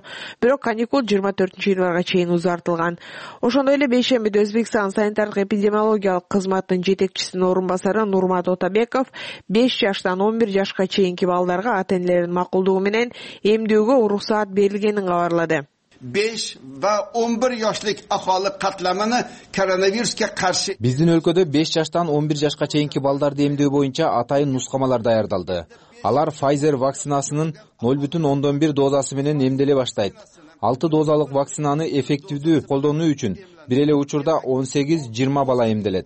Бирок каникул 24-январга чейин узартылган. Ошондой эле бейшембиде Өзбекстан санитардык эпидемиологиялык кызматынын жетекчисинин орун басары Нурмат Отабеков 5 жаштан 11 жашка чейинки балдарга ата-энелеринин макулдугу менен эмдөөгө уруксаат берилгенин кабарлады. 5 va 11 yoshlik aholi qatlamini koronavirusga qarshi Биздин өлкөдө 5 жаштан 11 жашка чейинки балдарды эмдөө боюнча атайын нускамалар даярдалды. Алар Pfizer вакцинасынын 0,1 дозасы менен эмделе баштайт. 6 дозалык вакцинаны эффективдүү колдонуу үчүн бир эле учурда 18-20 бала эмделет,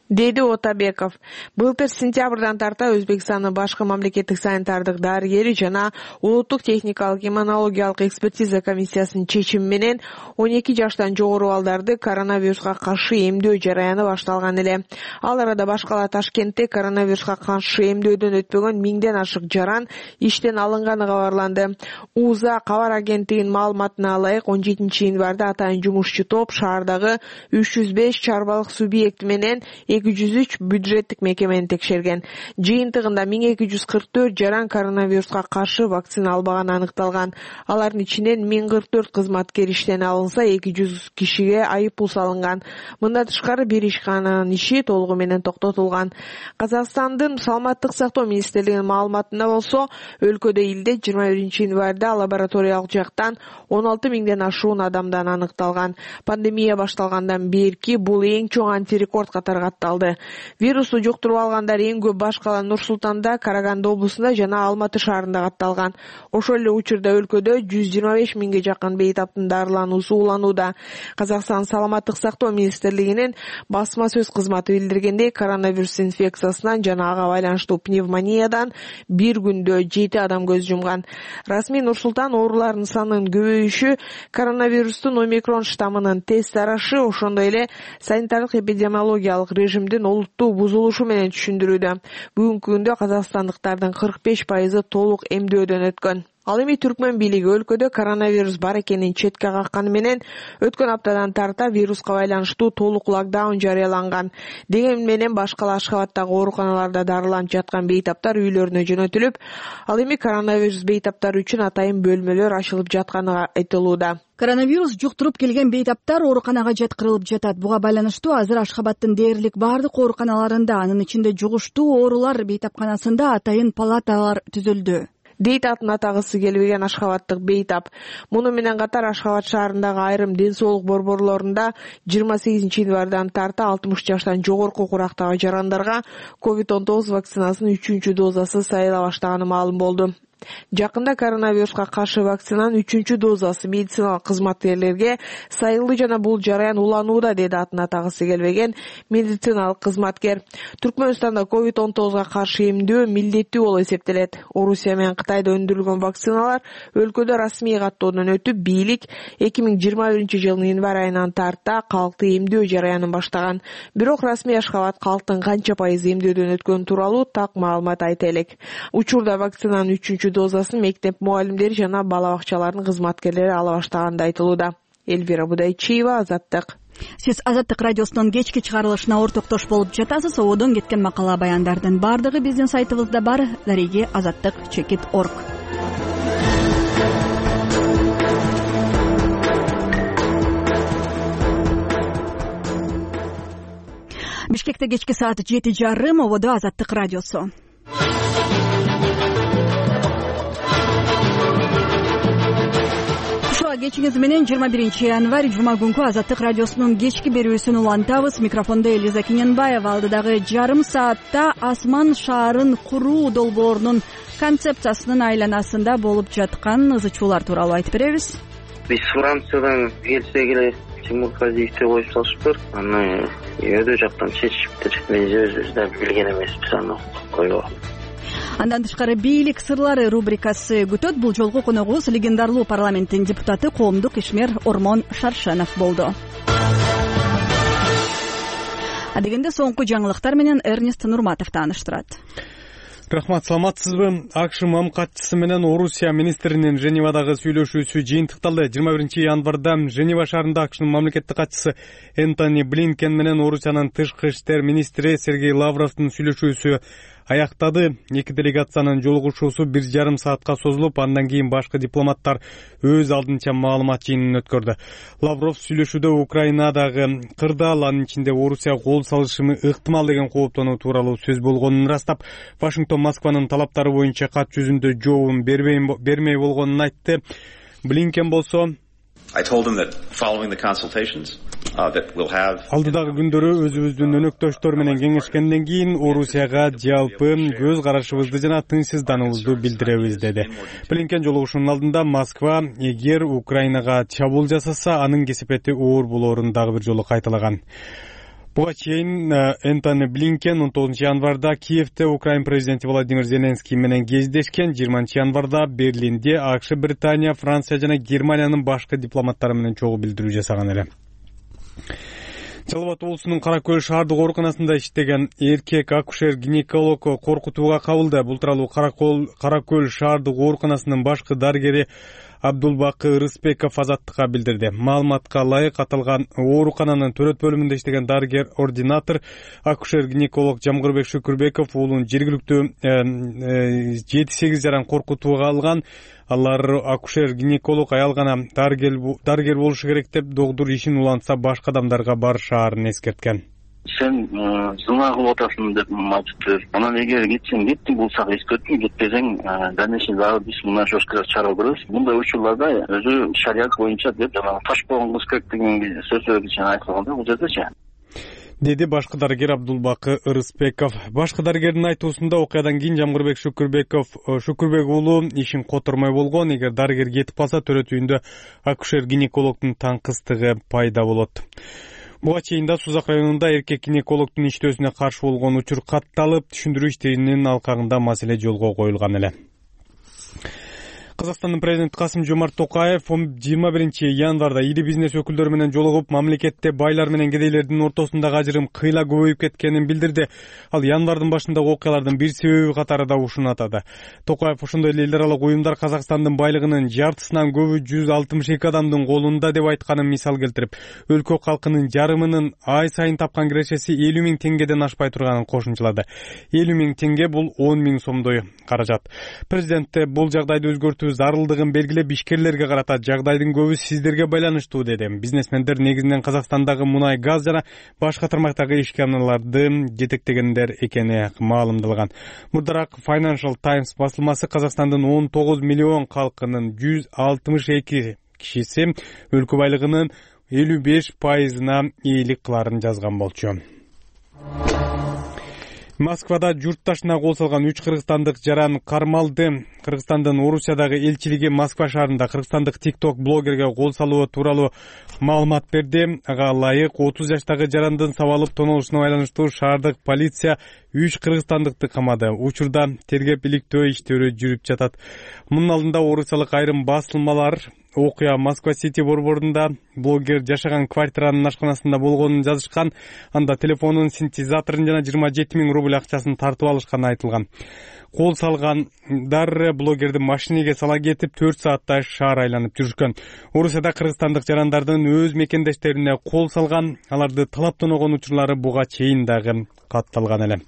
деди Отабеков. Былтыр сентябрдан тарта Өзбекстандын башкы мамлекеттик санитардык дарыгери жана улуттук техникалык иммунологиялык экспертиза комиссиясынын чечими менен 12 жаштан жогору балдарды коронавируска каршы эмдөө жараяны башталган эле. Ал арада башкала Ташкентте коронавируска каршы эмдөөдөн өтпөгөн 1000ден ашык жаран иштен алынганы кабарланды. УЗА кабар агенттигинин маалыматына ылайык 17-январда атайын жумушчу топ шаардагы 305 чарбалык субъект менен 203 бюджеттик мекемени текшерген. Жыйынтыгында 1244 жаран коронавируска каршы вакцина албаганы аныкталган. Алардын ичинен 1044 кызматкер иштен алынса, 200 кишиге айыппул салынган. Мындан тышкары бир ишкананын иши толугу менен токтотулган. Казакстандын саламаттык сактоо министрлигинин маалыматында болсо, өлкөдө илде 21-январда лабораториялык жактан 16 000ден ашуун адамдан аныкталган. Пандемия башталгандан берки бул эң чоң антирекорд катары катталды. Вирусту жуктуруп алгандар эң көп башкала Нур-Султанда, Караганды облусунда жана Алматы шаарында катталган. Ошол эле учурда өлкөдө 125 000ге жакын бейтаптын дарылануусу уланууда. Казакстан саламаттык сактоо министрлигинин басма сөз кызматы билдиргендей, коронавирус инфекциясынан жана ага байланыштуу пневмониядан бир күндө 7 адам көз жумган. Расмий Нур-Султан оорулардын санынын көбөйүшү коронавирустун омикрон штаммынын тез тарашы, ошондой эле санитардык эпидемиологиялык режимдин олуттуу бузулушу менен түшүндүрүүдө. Бүгүнкү күндө казакстандыктардын 45% толук эмдөөдөн өткөн. Ал эми Түркмөн бийлиги өлкөдө коронавирус бар экенин четке какканы менен өткөн аптадан тарта вируска байланыштуу толук локдаун жарыяланган. Деген менен башкала Ашхабадтагы ооруканаларда дарыланып жаткан бейтаптар үйлөрүнө жөнөтүлүп, ал эми коронавирус бейтаптары үчүн атайын бөлмөлөр ачылып жатканы айтылууда. Коронавирус жуктуруп келген бейтаптар ооруканага жаткырылып жатат. Буга байланыштуу азыр Ашхабадтын дээрлик бардык ооруканаларында, анын ичинде жугуштуу оорулар бейтапканасында атайын палаталар түзүлдү. дейт атын атагысы келбеген ашхабаттык Бейтап. Муну менен катар Ашхабад шаарындагы айрым ден соолук борборлорунда 28 январдан тарта 60 жаштан жогорку курактагы жарандарга COVID-19 вакцинасынын 3 дозасы сайыла баштаганы маалым болду. Жакында коронавируска каршы вакцинанын 3 дозасы медициналык кызматкерлерге сайылды жана бул жараян уланууда, деди атын атагысы келбеген медициналык кызматкер. Түркмөнстанда COVID-19га каршы эмдөө милдеттүү болуп эсептелет. Орусия менен Кытайда өндүрүлгөн вакциналар өлкөдө расмий каттоодон өтүп, бийлик 2021 жылдын январь айынан тарта калкты эмдөө жараянын баштаган. Бирок расмий Ашхабад калктын канча пайыз эмдөөдөн өткөнү тууралуу так маалымат айта элек. Учурда вакцинанын 3 дозасын мектеп мугалимдери жана бала бакчаларынын кызматкерлери ала баштаганы айтылууда. Элвира Будайчиева, Азаттык. Сиз Азаттык радиосунун кечки чыгарылышына ортоктош болуп жатасыз. Ободон кеткен макала баяндардын бардыгы биздин сайтыбызда бар. Дареги azattik.org. Бишкекте кечки саат 7:30, ободо Азаттык радиосу. Кечиңиз менен 21 январь жума күнкү Азаттык радиосунун кечки берүүсүн улантабыз. Микрофондо Элиза Кененбаева. Алдыдагы жарым саатта асман шаарын куруу долбоорунун концепциясынын айланасында болуп жаткан ызычуулар тууралуу айтып беребиз. Биз Франциядан келсек эле Тимур Казиевди коюп салышыптыр. Аны өйдө жактан чечишиптир. Биз өзүбүз да билген эмеспиз аны койгон. Андан тышкары бийлик сырлары рубрикасы күтөт. Бул жолку коногубуз легендарлуу парламенттин депутаты, коомдук ишмер Ормон Шаршенов болду. Адегенде соңку жаңылыктар менен Эрнест Нурматов тааныштырат. Рахмат, саламатсызбы? АКШ МАМ катчысы менен Орусия министринин Женевадагы сүйлөшүүсү жыйынтыкталды. 21 январда Женева шаарында АКШнын мамлекеттик катчысы Энтони Блинкен менен Орусиянын тышкы иштер министри Сергей Лавровдун сүйлөшүүсү аяктады. Эки делегациянын жолугушуусу 1,5 саатка созулуп, андан кийин башкы дипломаттар өз алдынча маалымат жыйынын өткөрдү. Лавров сүйлөшүүдө Украинадагы кырдаал, анын ичинде Орусия кол салышы ыктымал деген кооптонуу тууралуу сөз болгонун ырастап, Вашингтон Москванын талаптары боюнча кат жүзүндө жообун бермей болгонун айтты. Блинкен болсо алдыдагы күндөрү өзүбүздүн өнөктөштөр менен кеңешкенден кийин Орусияга жалпы көз карашыбызды жана тынчсыздануубузду билдиребиз, деди. Блинкен жолугушуунун алдында Москва эгер Украинага чабуул жасаса, анын кесепети оор болоорун дагы бир жолу кайталаган. Буга чейин Энтони Блинкен 19 январда Киевде Украин президенти Владимир Зеленский менен кездешкен. 20 январда Берлинде АКШ, Британия, Франция жана Германиянын башкы дипломаттары менен чогуу билдирүү жасаган эле. Жалал Абад облусунун Кара Көл шаардык ооруканасында иштеген эркек акушер-гинеколог коркутууга кабылды. Бул тууралуу Кара Көл шаардык ооруканасынын башкы дарыгери Абдулбакы Рыспеков Азаттыкка билдирди. Маалыматка ылайык, аталган оорукананын төрөт бөлүмүндө иштеген дарыгер-ординатор акушер-гинеколог Жамгырбек Шүкүрбеков уулун жергиликтүү 7-8 жаран коркутууга алган. Алар акушер-гинеколог аял гана дарыгер болушу керек деп, догдур ишин улантса башка адамдарга барышаарын эскерткен. Сен зына кылып атасың деп айтыптыр. Анан эгер кетсең кеттиң, булсак эскерттиң, кетпесең дальнейший дагы биз мына жосткалар чыгарып көрөбүз. Мындай учурларда өзү шарият боюнча деп жана таш болгон кыз керек деген сөздөр айтылганда бул жердечи, деди башкы дарыгер Абдулбакы Рыспеков. Башкы дарыгердин айтуусунда окуядан кийин Жамгырбек Шүкүрбек уулу ишин котормой болгон. Эгер дарыгер кетип калса, төрөт үйүндө акушер-гинекологдун таңкыстыгы пайда болот. Буга чейин да Сузак районунда эркек гинекологдун иштөөсүнө каршы болгон учур катталып, түшүндүрүү иштеринин алкагында маселе жолго коюлган эле. Казакстандын президенти Касым-Жомарт Токаев 21 январда ири бизнес өкүлдөрү менен жолугуп, мамлекетте байлар менен кедейлердин ортосундагы ажырым кыйла көбөйүп кеткенин билдирди. Ал январдын башындагы окуялардын бир себеби катарында ушуну атады. Токаев ошондой эле эл аралык уюмдар Казакстандын байлыгынын жартысынан көбү 162 адамдын колунда деп айтканын мисал келтирип, өлкө калкынын жарымынын ай сайын тапкан кирешеси 50 000 теңгеден ашпай турганын кошумчалады. 50 000 теңге бул 10 000 сомдой каражат. Президент бул жагдайды өзгөртүү өтүү зарылдыгын белгилеп, ишкерлерге карата жагдайдын көбү сиздерге байланыштуу деди. Бизнесмендер негизинен Казакстандагы мунай, газ жана башка тармактагы ишканаларды жетектегендер экени маалымдалган. Мурдараак Financial Times басылмасы Казакстандын 19 миллион калкынын 162 кишиси өлкө байлыгынын 55%-на ээлик кыларын жазган болчу. Москвада журтташына кол салган 3 кыргызстандык жаран кармалды. Кыргызстандын Орусиядагы элчилиги Москва шаарында кыргызстандык TikTok блогерге кол салуу тууралуу маалымат берди. Ага ылайык 30 жаштагы жарандын сабалып тоноолушуна байланыштуу шаардык полиция 3 кыргызстандыкты камады. Учурда тергеп иликтөө иштери жүрүп жатат. Мунун алдында орусиялык айрым басылмалар окуя Москва Сити борборунда блогер жашаган квартиранын ашканасында болгонун жазышкан. Анда телефонунун синтезаторун жана 27 000 рубль акчасын тартып алышканы айтылган. Кол салгандар блогерди машинеге сала кетип 4 сааттай шаар айланып жүрүшкөн. Орусияда кыргызстандык жарандардын өз мекендештерине кол салган, аларды талап тоногон учурлары буга чейин дагы катталган эле.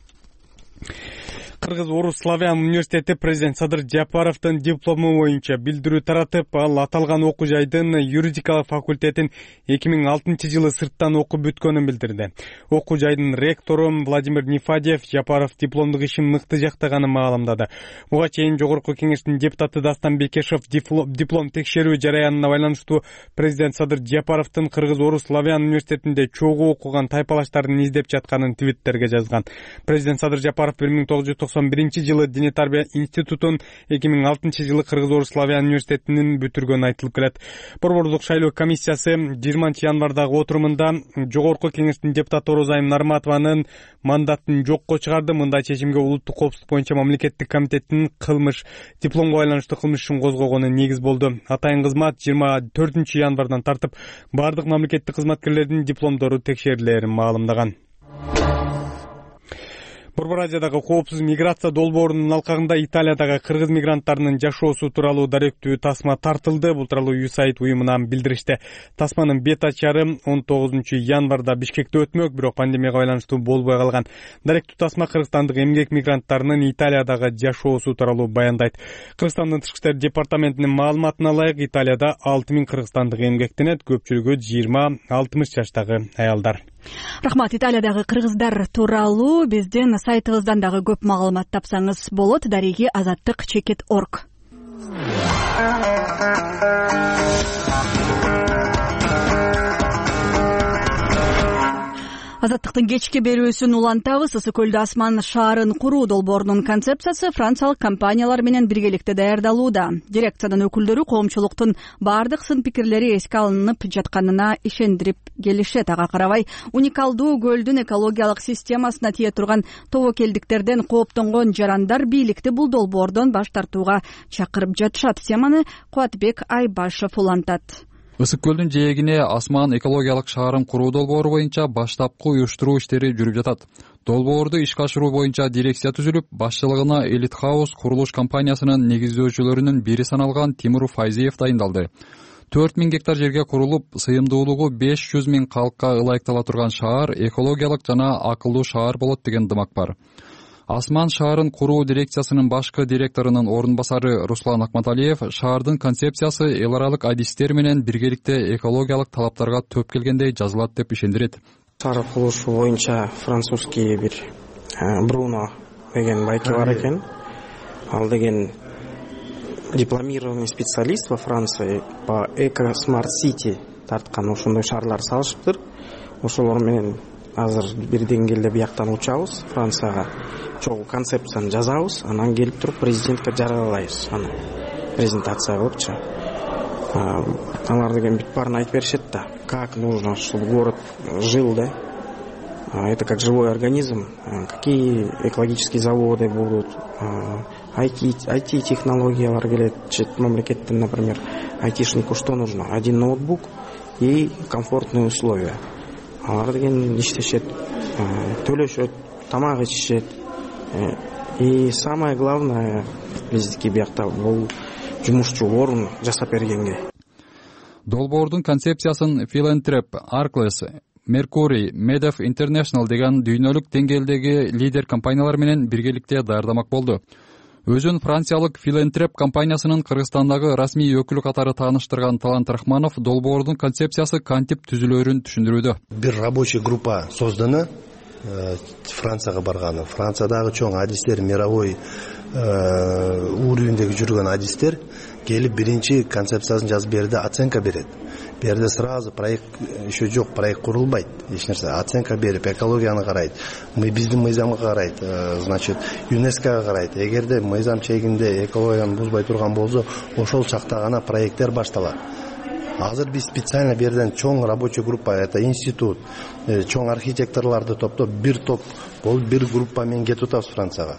Кыргыз-Орус Славян университети президент Садыр Жапаровдун диплому боюнча билдирүү таратып, ал аталган окуу жайдын юридикалык факультетин 2006-жылы сырттан окуп бүткөнүн билдирди. Окуу жайдын ректору Владимир Нефадьев Жапаров дипломдук ишин мыкты жактаганын маалымдады. Буга чейин Жогорку кеңештин депутаты Дастан Бекешев диплом текшерүү жараянына байланыштуу президент Садыр Жапаровдун Кыргыз-Орус Славян университетинде чогуу окуган тайпалаштарын издеп жатканын твиттерге жазган. Президент Садыр Жапаров 1991-жылы Дине тарбия институтун, 2006-жылы Кыргыз-Орус Славян университетинин бүтүргөнү айтылып келет. Борбордук шайлоо комиссиясы 20 январдагы отурумунда Жогорку кеңештин депутаты Орозайым Нарматованын мандатын жокко чыгарды. Мындай чечимге улуттук коопсуздук боюнча мамлекеттик комитеттин дипломго байланыштуу кылмыш ишин козгогону негиз болду. Атайын кызмат 24 январдан тартып бардык мамлекеттик кызматкерлердин дипломдору текшерилерин маалымдаган. Борбор Азиядагы коопсуз миграция долбоорунун алкагында Италиядагы кыргыз мигранттарынын жашоосу тууралуу даректүү тасма тартылды. Бул тууралуу USAID уюмунан билдиришти. Тасманын бет ачары 19 январда Бишкекте өтмөк, бирок пандемияга байланыштуу болбой калган. Даректүү тасма кыргызстандык эмгек мигранттарынын Италиядагы жашоосу тууралуу баяндайт. Кыргызстандын тышкы иштер департаментинин маалыматына ылайык, Италияда 6000 кыргызстандык эмгектенет, көпчүлүгү 20-60 жаштагы аялдар. Рахмат. Италиядагы кыргыздар тууралуу биздин сайтыбыздан дагы көп маалымат тапсаңыз болот. Дареги azаттык.org. Азаттыктын кечки берүүсүн улантабыз. Ысык көлдө асман шаарын куруу долбоорунун концепциясы франциялык компаниялар менен биргеликте даярдалууда. Дирекциянын өкүлдөрү коомчулуктун бардык сын пикирлери эске алынып жатканына ишендирип келишет. Ага карабай, уникалдуу көлдүн экологиялык системасына тие турган тобокелдиктерден кооптонгон жарандар бийликти бул долбоордон баш тартууга чакырып жатышат. Теманы Кубатбек Айбашев улантат. Ысык көлдүн жээгине асман экологиялык шаарын куруу долбоору боюнча баштапкы уюштуруу иштери жүрүп жатат. Долбоорду ишке ашыруу боюнча дирекция түзүлүп, башчылыгына Элит Хаус курулуш компаниясынын негиздөөчүлөрүнүн бири саналган Тимур Файзиев дайындалды. 4000 гектар жерге курулуп, сыйымдуулугу 500 000 калкка ылайыктала турган шаар экологиялык жана акылдуу шаар болот деген дымак бар. Асман шаарын куруу дирекциясынын башкы директорунун орун басары Руслан Акматалиев шаардын концепциясы эл аралык адистер менен биргеликте экологиялык талаптарга төп келгендей жазылат деп ишендирет. Шаар курулушу боюнча французский бир Бруно деген байке бар экен. Ал деген дипломированный специалист во Франции по Eco Smart City тарткан ошондой шаарлар салышыптыр. Ошолор менен азыр бир деңгээлде бияктан учабыз, Францияга чогуу концепцияны жазабыз, анан келип туруп президентке жарыялайбыз. Аны презентация кылыпчы. Алар деген бүт баарын айтып беришет да, как нужно, чтобы город жил, да. Это как живой организм, какие экологические заводы будут, IT-технологиялар келет, мамлекеттен, например, айтишнику что нужно? Один ноутбук и комфортные условия. Алар деген иштешет, төлөшөт, тамак ичишет. И самое главное, биздики биякта бул жумушчу орун жасап бергенге. Долбоордун концепциясын Philanthrope, Arcles, Mercury, Medef International деген дүйнөлүк деңгээлдеги лидер компаниялар менен биргеликте даярдамак болду. Өзүн франциялык Филантреп компаниясынын Кыргызстандагы расмий өкүлү катары тааныштырган Талант Рахманов долбоордун концепциясы кантип түзүлөрүн түшүндүрүүдө. Бир рабочий группа создана Францияга барганы. Франциядагы чоң адистер, мировой уровендеги жүргөн адистер келип биринчи концепциясын жазып берди, оценка берет. Берде сразу проект еще жок, проект курулбайт, эч нерсе. Оценка берип, экологияны карайт, биздин мыйзамга карайт, значит, ЮНЕСКОга карайт. Эгерде мыйзам чегинде экологияны бузбай турган болсо, ошол чакта гана проекттер башталат. Азыр биз специально берден чоң рабочий группа, это институт, чоң архитекторлорду топтоп, бир топ болуп, бир группа менен кетип атабыз Францияга.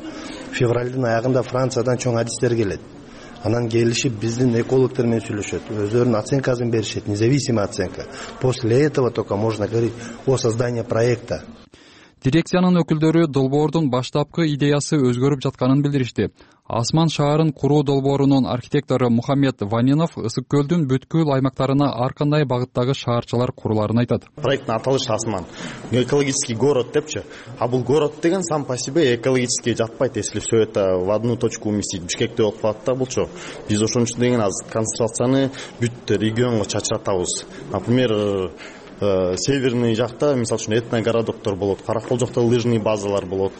Февралдын аягында Франциядан чоң адистер келет. Анан келишип биздин экологдор менен сүйлөшөт, өздөрүнүн оценкасын беришет, независимая оценка. После этого только можно говорить о создании проекта. Дирекциянын өкүлдөрү долбоордун баштапкы идеясы өзгөрүп жатканын билдиришти. Асман шаарын куруу долбоорунун архитектору Мухаммед Ванинов ысык көлдүн бүткүл аймактарына ар кандай багыттагы шаарчалар куруларын айтат. Проекттин аталышы Асман. Экологический город депчи. А бул город деген сам по себе экологически жатпайт, если все это в одну точку уместить. Бишкекте болуп калат да булчу. Биз ошон үчүн деген азыр концентрацияны бүт регионго чачыратабыз. Например, северный жакта, мисалы үчүн, этногородоктор болот, Каракол жакта лыжный базалар болот,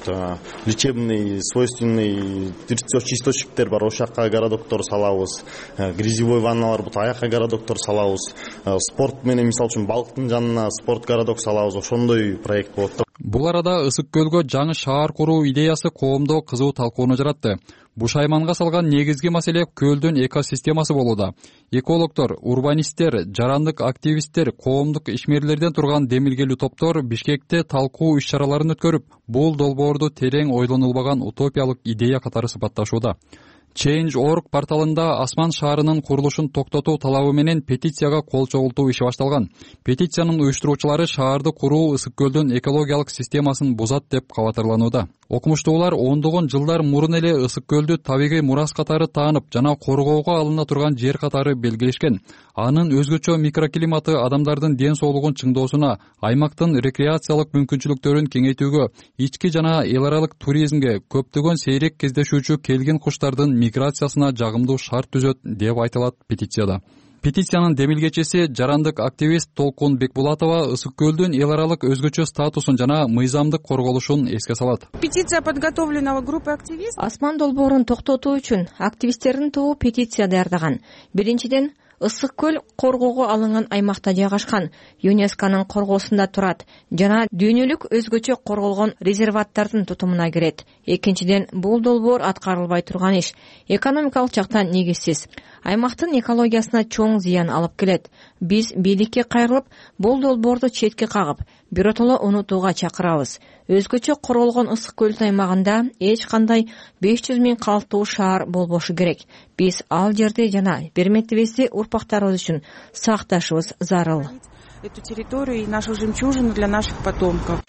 лечебный, свойственный источниктер бар, ошол жака городоктор салабыз, грязевой ванналар болот, аяка городоктор салабыз, спорт менен, мисалы үчүн, балыктын жанына спорт городок салабыз, ошондой проект болот. Бул арада ысык көлгө жаңы шаар куруу идеясы коомдо кызуу талкууну жаратты. Буш айманга салган негизги маселе көлдүн экосистемасы болууда. Экологдор, урбанисттер, жарандык активисттер, коомдук ишмерлерден турган демилгелүү топтор Бишкекте талкуу иш-чараларын өткөрүп, бул долбоорду терең ойлонулбаган утопиялык идея катары сыпатташууда. Change.org порталында Асман шаарынын курулушун токтотуу талабы менен петицияга кол чогултуу иши башталган. Петициянын уюштуруучулары шаарды куруу ысык көлдүн экологиялык системасын бузат деп кабатырланууда. Окумуштуулар ондогон жылдар мурун эле ысык көлдү табигый мурас катары таанып жана коргоого алына турган жер катары белгилешкен. Анын өзгөчө микроклиматы адамдардын ден соолугун чыңдоосуна, аймактын рекреациялык мүмкүнчүлүктөрүн кеңейтүүгө, ички жана эл аралык туризмге, көптөгөн сейрек кездешүүчү келгин куштардын миграциясына жагымдуу шарт түзөт деп айтылат петицияда. Петициянын демилгечиси жарандык активист Толкун Бекбулатова ысык көлдүн эл аралык өзгөчө статусун жана мыйзамдык корголушун эске салат. Петиция подготовлена группой активистов. Асман долбоорун токтотуу үчүн активисттердин тобу петиция даярдаган. Биринчиден, ысык көл коргоого алынган аймакта жайгашкан, ЮНЕСКОнун коргоосунда турат жана дүйнөлүк өзгөчө корголгон резерваттардын тутумуна кирет. Экинчиден, бул долбоор аткарылбай турган иш, экономикалык жактан негизсиз. Аймактын экологиясына чоң зыян алып келет. Биз бийликке кайрылып, бул долбоорду четке кагып, биротоло унутууга чакырабыз. Өзгөчө корголгон ысык көл аймагында эч кандай 500 000 калктуу шаар болбошу керек. Биз ал жерди жана бермектибизди урпактарыбыз үчүн сакташыбыз зарыл. Эту территорию и нашу жемчужину для наших потомков.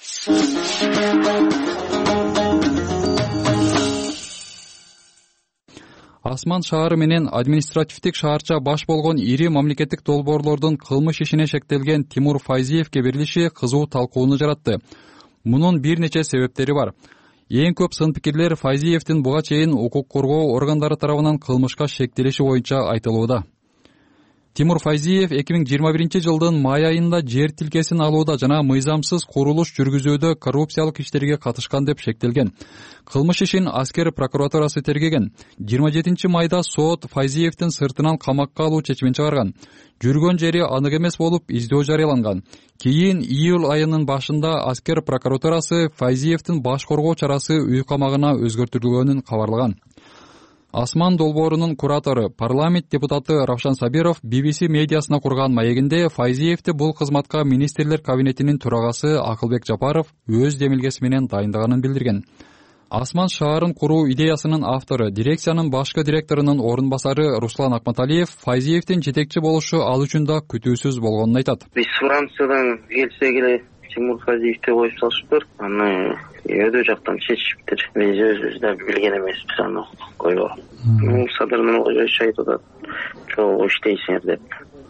Асман шаары менен административдик шаарча баш болгон ири мамлекеттик долбоорлордун кылмыш ишине шектелген Тимур Файзиевке берилиши кызуу талкууну жаратты. Мунун бир нече себептери бар. Эң көп сын-пикирлер Файзиевдин буга чейин укук коргоо органдары тарабынан кылмышка шектелиши боюнча айтылууда. Тимур Файзиев 2021 жылдын май айында жер тилкесин алууда жана мыйзамсыз курулуш жүргүзүүдө коррупциялык иштерге катышкан деп шектелген. Кылмыш ишин аскер прокуратурасы тергеген. 27 майда сот Файзиевдин сыртынан камакка алуу чечимин чыгарган. Жүргөн жери анык эмес болуп издөө жарыяланган. Кийин июль айынын башында аскер прокуратурасы Файзиевдин баш коргоо чарасы үй камагына өзгөртүлгөнүн кабарлаган. Асман долбоорунун куратору, парламент депутаты Равшан Сабиров BBC медиасына курган маегинде Файзиевди бул кызматка министрлер кабинетинин төрагасы Акылбек Жапаров өз демилгеси менен дайындаганын билдирген. Асман шаарын куруу идеясынын автору, дирекциянын башкы директорунун орун басары Руслан Акматалиев Файзиевдин жетекчи болушу ал үчүн да күтүүсүз болгонун айтат. Биз Франциядан келсек эле Тимур Файзиевди коюп салышыптыр. Аны өйдө жактан чечишиптир. Биз өзүбүз да билген эмеспиз аны койгоо. Садырмын айтып атат. Чогуу иштейсиңер деп.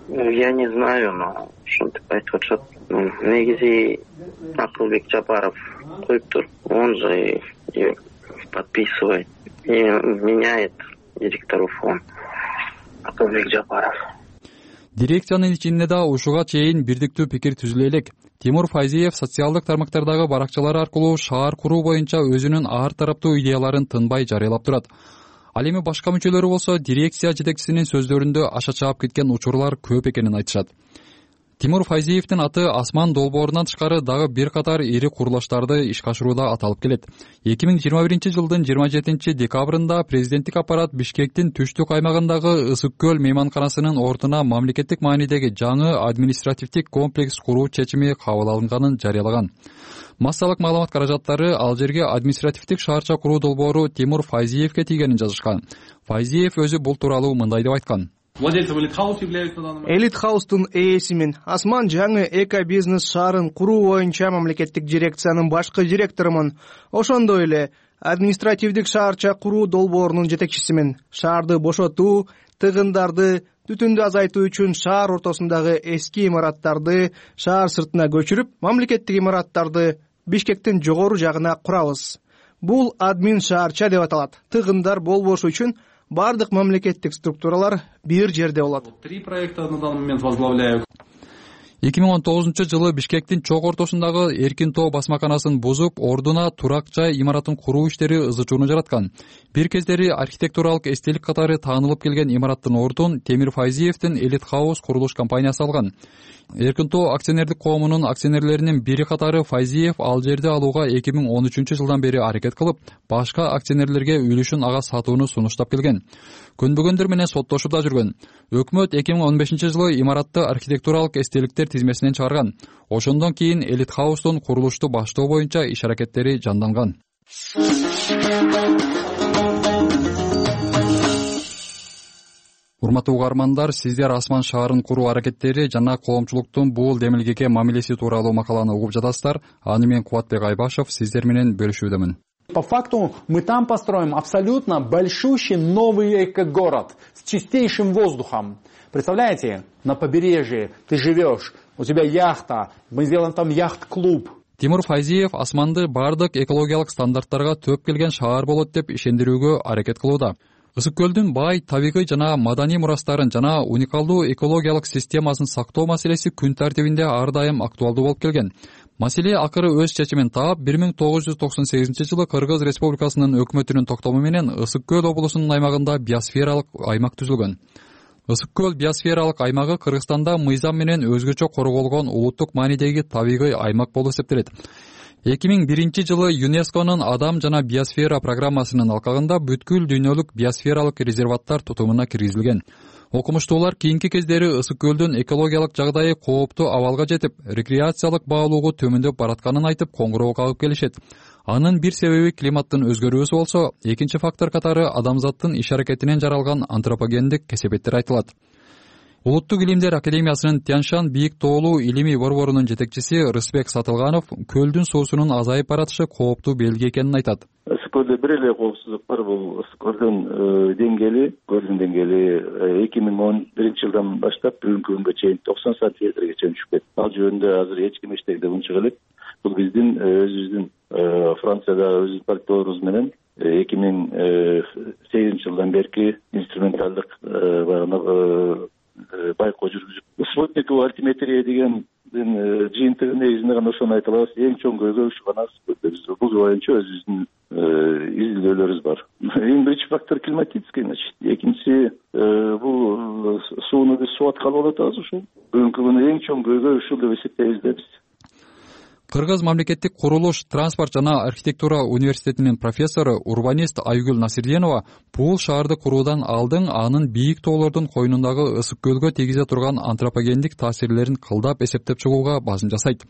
Я не знаю, но ушинтип айтып атышат. Негизи Акылбек Жапаров коюптур. Он же подписывает и меняет директоров он. Акылбек Жапаров. Дирекциянын ичинде да ушуга чейин бирдиктүү пикир түзүлө элек. Тимур Файзиев социалдык тармактардагы баракчалары аркылуу шаар куруу боюнча өзүнүн ар тараптуу идеяларын тынбай жарыялап турат. Ал эми башка мүчөлөрү болсо дирекция жетекчисинин сөздөрүндө аша чаап кеткен учурлар көп экенин айтышат. Тимур Файзиевдин аты Асман долбоорунан тышкары дагы бир катар ири курулуштарды ишке ашырууда аталып келет. 2021-жылдын 27 декабрында президенттик аппарат Бишкектин түштүк аймагындагы Ысык көл мейманканасынын ордуна мамлекеттик маанидеги жаңы административдик комплекс куруу чечими кабыл алынганын жарыялаган. Массалык маалымат каражаттары ал жерге административдик шаарча куруу долбоору Тимур Файзиевке тийгенин жазышкан. Файзиев өзү бул тууралуу мындай деп айткан. Элит хаустун ээсимин. Асман жаңы эко бизнес шаарын куруу боюнча мамлекеттик дирекциянын башкы директорумун. Ошондой эле административдик шаарча куруу долбоорунун жетекчисимин. Шаарды бошотуу, тыгындарды, түтүндү азайтуу үчүн шаар ортосундагы эски имараттарды шаар сыртына көчүрүп, мамлекеттик имараттарды Бишкектин жогору жагына курабыз. Бул админ шаарча деп аталат. Тыгындар болбошу үчүн бардык мамлекеттик структуралар бир жерде болот. 3 проекта на данный момент возглавляю. 2019-жылы Бишкектин чок ортосундагы Эркин тоо басмаканасын бузуп, ордуна турак жай имаратын куруу иштери ызы-чууну жараткан. Бир кездери архитектуралык эстелик катары таанылып келген имараттын ордун Темир Файзиевдин Элит Хаус курулуш компаниясы алган. Эркин тоо акционердик коомунун акционерлеринин бири катары Файзиев ал жерди алууга 2013-жылдан бери аракет кылып, башка акционерлерге үлүшүн ага сатууну сунуштап келген. Көнбөгөндөр менен соттошууда жүргөн. Өкмөт 2015-жылы имаратты архитектуралык эстеликтер тизмесинен чыгарган. Ошондон кийин Элит Хаустун курулушту баштоо боюнча иш аракеттери жанданган. Урматтуу угармандар, сиздер Асман шаарын куруу аракеттери жана коомчулуктун бул демилгеге мамилеси тууралуу макаланы угуп жатасыздар. Аны мен Кубатбек Айбашев сиздер менен бөлүшүүдөмүн. По факту мы там построим абсолютно большущий новый эко-город с чистейшим воздухом. Представляете, на побережье ты живешь, у тебя яхта, мы сделаем там яхт-клуб. Тимур Файзиев Асманды бардык экологиялык стандарттарга төп келген шаар болот деп ишендирүүгө аракет кылууда. Ысык көлдүн бай табигый жана маданий мурастарын жана уникалдуу экологиялык системасын сактоо маселеси күн тартибинде ар дайым актуалдуу болуп келген. Маселе акыры өз чечимин таап, 1998-жылы Кыргыз Республикасынын өкмөтүнүн токтому менен Ысык көл облусунун аймагында биосфералык аймак түзүлгөн. Ысык көл биосфералык аймагы Кыргызстанда мыйзам менен өзгөчө корголгон улуттук маанидеги табигый аймак болуп эсептелет. 2001-жылы ЮНЕСКОнун Адам жана биосфера программасынын алкагында бүткүл дүйнөлүк биосфералык резерваттар тутумуна киргизилген. Окумуштуулар кийинки кездери Ысык көлдүн экологиялык жагдайы кооптуу абалга жетип, рекреациялык баалоого төмөндөп баратканын айтып коңгуроо кагып келишет. Анын бир себеби климаттын өзгөрүүсү болсо, экинчи фактор катары адамзаттын иш аракетинен жаралган антропогендик кесепеттер айтылат. Улуттук илимдер академиясынын Тяншан бийик тоолуу илимий борборунун жетекчиси Рысбек Сатылганов көлдүн суусунун азайып баратышы кооптуу белги экенин айтат. Ысык көлдө бир эле коопсуздук бар, бул ысык көлдүн деңгээли 2011-жылдан баштап бүгүнкү күнгө чейин 90 сантиметрге чейин түшүп кетти. Ал жөнүндө азыр эч ким эчтеке унчук элек. Бул биздин өзүбүздүн Франциядагы өзүбүздүн партнерибиз менен 2008-жылдан берки инструменталдык байкоо жүргүзүп, спутниковый альтиметрия деген жыйынтыгы негизинде гана ошону айта алабыз. Эң чоң көйгөй ушу гана бул боюнча өзүбүздүн изилдөөлөрүбүз бар. Эң биринчи фактор климатический, значит. Экинчиси бул сууну биз суу аткалы болуп атабыз ушул. Бүгүнкү күнү эң чоң көйгөй ушул деп эсептейбиз да биз. Кыргыз мамлекеттик курулуш, транспорт жана архитектура университетинин профессору, урбанист Айгүл Насирденова бул шаарды куруудан алдын анын бийик тоолордун койнундагы ысык көлгө тийгизе турган антропогендик таасирлерин кылдап эсептеп чыгууга басын жасайт.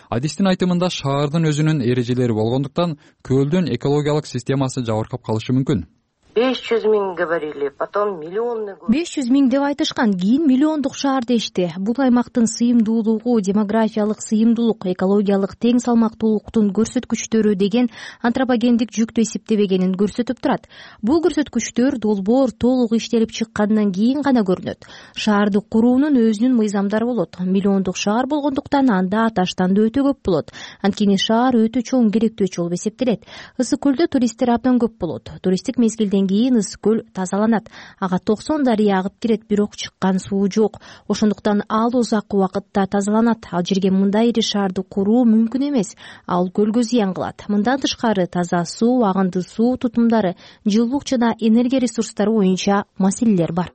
Адистин айтымында шаардын өзүнүн эрежелери болгондуктан көлдүн экологиялык системасы жабыркап калышы мүмкүн. 500 000 говорили, потом миллионный город. 500 000 деп айтышкан, кийин миллиондук шаар дешти. Бул аймактын сыйымдуулугу, демографиялык сыйымдуулук, экологиялык тең салмактуулуктун көрсөткүчтөрү деген антропогендик жүктү эсептебегенин көрсөтүп турат. Бул көрсөткүчтөр долбоор толук иштелип чыккандан кийин гана көрүнөт. Шаарды куруунун өзүнүн мыйзамдары болот. Миллиондук шаар болгондуктан анда таштан да өтө көп болот. Анткени шаар өтө чоң керектөөчү болуп эсептелет. Ысык көлдө туристтер абдан көп болот. Туристтик мезгилден кийин ысык көл тазаланат. Ага 90 дарыя агып кирет, бирок чыккан суу жок. Ошондуктан ал узак убакытта тазаланат. Ал жерге мындай ири шаарды куруу мүмкүн эмес. Ал көлгө зыян кылат. Мындан тышкары таза суу, агынды суу тутумдары, жылуулук жана энергия ресурстары боюнча маселелер бар.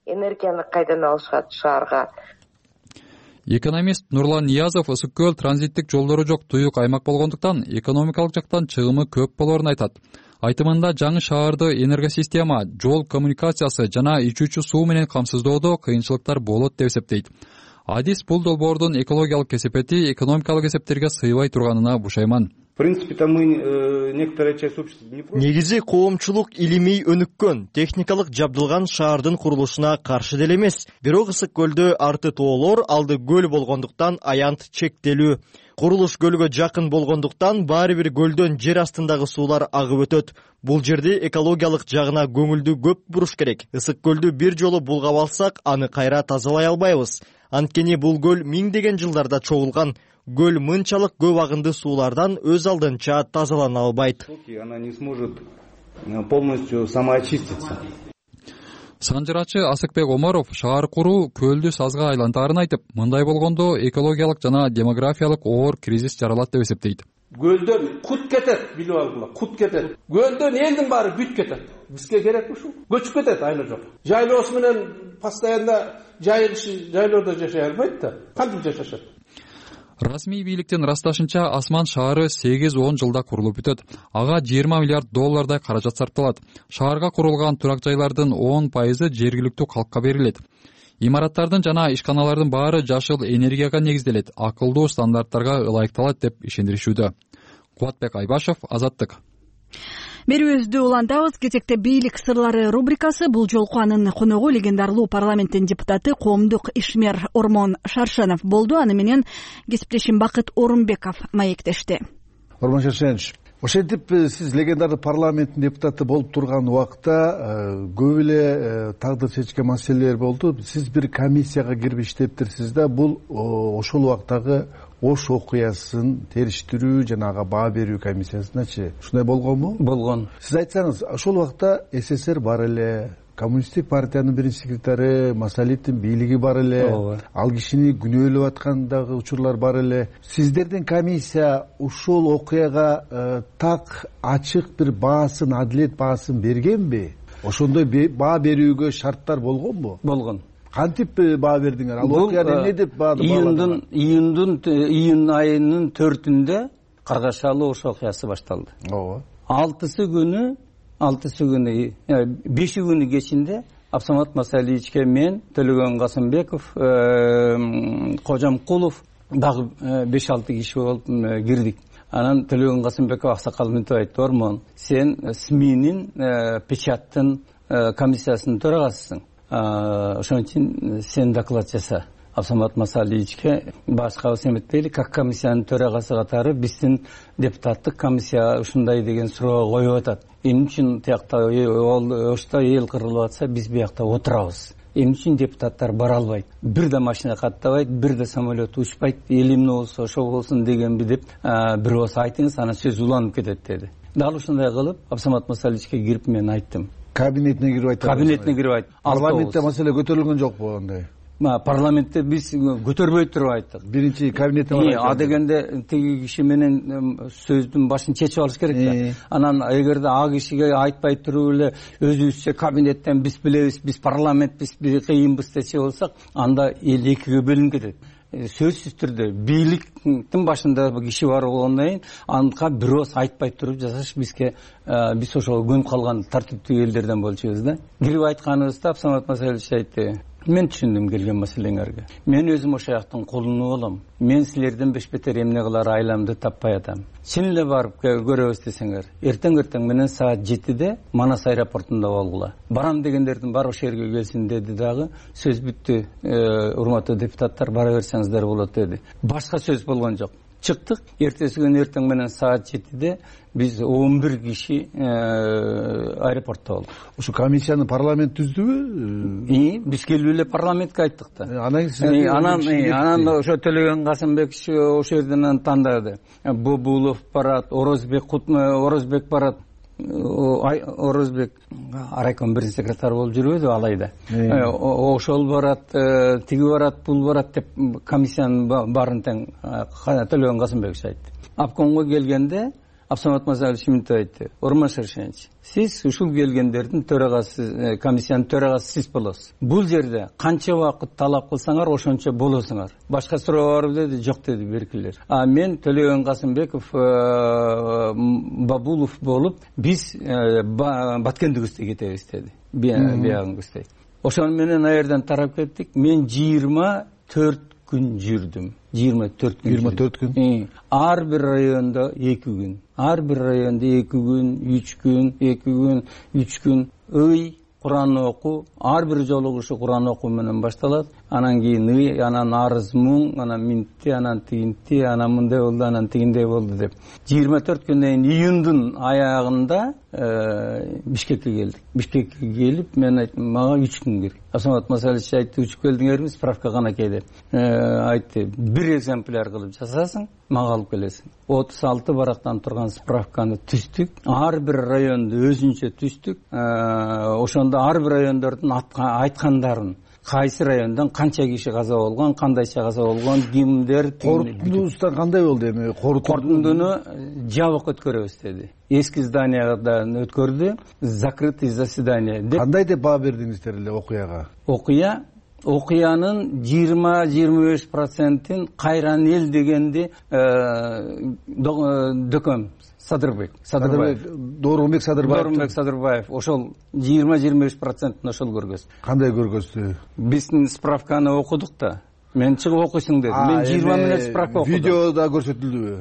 Энергияны кайдан алышат шаарга? Экономист Нурлан Ниязов ысык көл транзиттик жолдору жок туюк аймак болгондуктан экономикалык жактан чыгымы көп болоорун айтат. Айтымында жаңы шаарды энергосистема, жол коммуникациясы жана ичүүчү суу менен камсыздоодо кыйынчылыктар болот деп эсептейт. Адис бул долбоордун экологиялык кесепети экономикалык эсептерге сыйбай турганына бушайман. В принципе-то мы некоторая часть общества не против. Негизи коомчулук илимий өнүккөн, техникалык жабдылган шаардын курулушуна каршы деле эмес. Бирок ысык көлдө арты тоолор, алды көл болгондуктан аянт чектелүү. Курулуш көлгө жакын болгондуктан баары бир көлдөн жер астындагы суулар агып өтөт. Бул жерде экологиялык жагына көңүлдү көп буруш керек. Ысык көлдү бир жолу булгап алсак, аны кайра тазалай албайбыз. Анткени бул көл миңдеген жылдарда чогулган. Көл мынчалык көп агынды суулардан өз алдынча тазалана албайт. Она не сможет полностью самоочиститься. Санжырачы Асыкбек Омаров шаар куруу көлдү сазга айлантаарын айтып, мындай болгондо экологиялык жана демографиялык оор кризис жаралат деп эсептейт. Көлдөн кут кетет, билип алгыла, кут кетет. Көлдөн элдин баары бүт кетет. Бизге керек ушул. Көчүп кетет айла жок. Жайлоосу менен постоянно жайлоодо жашай албайт да. Кантип жашашат? Расмий бийликтин ырасташынча Асман шаары 8-10 жылда курулуп бүтөт. Ага 20 миллиард доллардай каражат сарпталат. Шаарга курулган турак жайлардын 10% жергиликтүү калкка берилет. Имараттардын жана ишканалардын баары жашыл энергияга негизделет, акылдуу стандарттарга ылайыкталат деп ишендиришүүдө. Кубатбек Айбашев, Азаттык. Берүүбүздү улантабыз. Кезекте бийлик сырлары рубрикасы. Бул жолку анын коногу легендарлуу парламенттин депутаты, коомдук ишмер Ормон Шаршенов болду. Аны менен кесиптешим Бакыт Орунбеков маектешти. Ормон Шаршенович, ошентип сиз легендарлуу парламенттин депутаты болуп турган убакта көп эле тагдыр чечкен маселелер болду. Сиз бир комиссияга кирип иштептирсиз да. Бул ошол убактагы Ош окуясын териштирүү жана ага баа берүү комиссиясыначы ушундай болгонбу? Болгон. Сиз айтсаңыз, ошол убакта СССР бар эле, коммунисттик партиянын биринчи секретары Масалиевдин бийлиги бар эле, ал кишини күнөөлөп аткандагы учурлар бар эле. Сиздердин комиссия ушул окуяга так ачык бир баасын, адилет баасын бергенби? Ошондой баа берүүгө шарттар болгонбу? Болгон. Кантип баа бердиңер? Ал окуяны эмне деп бааладыңар? Июнь айынын 4-ндө Каргашалы Ош окуясы башталды. Ооба. 5 күнү кечинде Абсамат Масалиевичке мен, Төлөгөн Касымбеков, Кожамкулов дагы 5-6 киши болуп кирдик. Анан Төлөгөн Касымбеков аксакал мынтип айтты: "Ормон, сен СМИнин печаттын комиссиясынын төрагасысың. Ошон үчүн сен доклад жаса." Абсамат Масалиевичке башкабыз эметпейли, как комиссиянын төрагасы катары биздин депутаттык комиссия ушундай деген суроо коюп атат. Эмне үчүн тиякта Ошто эл кырылып атса, биз биякта отурабыз? Эмне үчүн депутаттар бара албайт? Бир да машина каттабайт, бир да самолет учпайт, эл эмне болсо ошо болсун дегенби деп бир болсо айтыңыз, анан сөз уланып кетет деди. Дал ушундай кылып Абсамат Масалиевичке кирип мен айттым. Кабинетине кирип айттым. Кабинетине кирип айттым. Парламентте маселе көтөрүлгөн жокпу андай? Парламентте биз көтөрбөй туруп айттык. Биринчи кабинетте бар. А дегенде тиги киши менен сөздүн башын чечип алыш керек да. Анан эгерде а кишиге айтпай туруп эле өзүбүзчө кабинеттен биз билебиз, биз парламентпиз, биз кыйынбыз десе болсак, анда эл экиге бөлүнүп кетет. Сөзсүз түрдө бийликтин башында киши бар болгондон кийин анка бирөөс айтпай туруп жасаш бизге, биз ошого көнүп калган тартиптүү элдерден болчубуз да. Кирип айтканыбызда Абсамат Масалиевич айтты: мен түшүндүм келген маселеңерге. Мен өзүм ошол жактын кулуну болом. Мен силерден бешбетер эмне кылар айламды таппай атам. Чын эле барып көрөбүз десеңер, эртең менен саат 7-де Манас аэропортунда болгула. Барам дегендердин баары ошол жерге келсин деди дагы. Сөз бүттү, урматтуу депутаттар, бара берсеңиздер болот деди. Башка сөз болгон жок. Чыктык. Эртеси күнү эртең менен саат 7-де биз 11 киши аэропортто болдук. Ушу комиссияны парламент түздүбү? Биз келип эле парламентке айттык да. Анан ошо Төлөгөн Касымбек ошол жерден тандады. Бобулов барат, Орозбек барат. Орозбек райком биринчи секретарь болуп жүрбөдү алайда. Ошол барат, тиги барат, бул барат деп комиссиянын баарын тең Төлөгөн Касымбекович айтты. Обкомго келгенде Абсамат Мазалович мынтип айтты: Урмаш Аршенович, сиз ушул келгендердин төрагасы, комиссиянын төрагасы сиз болосуз. Бул жерде канча убакыт талап кылсаңар ошончо болосуңар. Башка суроо барбы деди. Жок деди беркилер. Мен Төлөгөн Касымбеков, Бабулов болуп биз Баткендигибизде кетебиз деди. Биягыңыздай. Ошону менен ал жерден тарап кеттик. Мен 24 күн жүрдүм. 24 күн. Ар бир райондо 2 күн. Ар бир райондо 2 күн, 3 күн, 2 күн, 3 күн. Куран окуу, ар бир жолугушу Куран окуу менен башталат. Анан кийин анан арыз муң, анан минтти, анан тигинти, анан мындай болду, анан тигиндей болду деп. 24 күндөн кийин июндун аягында Бишкекке келдик. Бишкекке келип, мен айттым, мага 3 күн керек. Асамат Масалович айтты, учуп келдиңерби, справка канакей деп. Айтты, бир экземпляр кылып жасасың, мага алып келесиң. 36 барактан турган справканы түздүк. Ар бир районду өзүнчө түздүк. Ошондо ар бир райондордун айткандарын, кайсы райондон канча киши каза болгон, кандайча каза болгон, кимдер. Корутундубузда кандай болду эми? Корутундуну жабык өткөрөбүз деди. Эски зданиядан өткөрдү, закрытый заседание деп. Кандай деп баа бердиңиздер эле окуяга? Окуянын 20-25%-ин Кайран эл дегенди дөкөм Садырбек. Доорунбек Садырбаев. Ошол 20-25%-ин ошол көргөз. Кандай көргөздү? Биздин справканы окудук да. Мен чыгып окуйсуң деди. Мен 20 мүнөт справка окудум. Видеода көрсөтүлдүбү?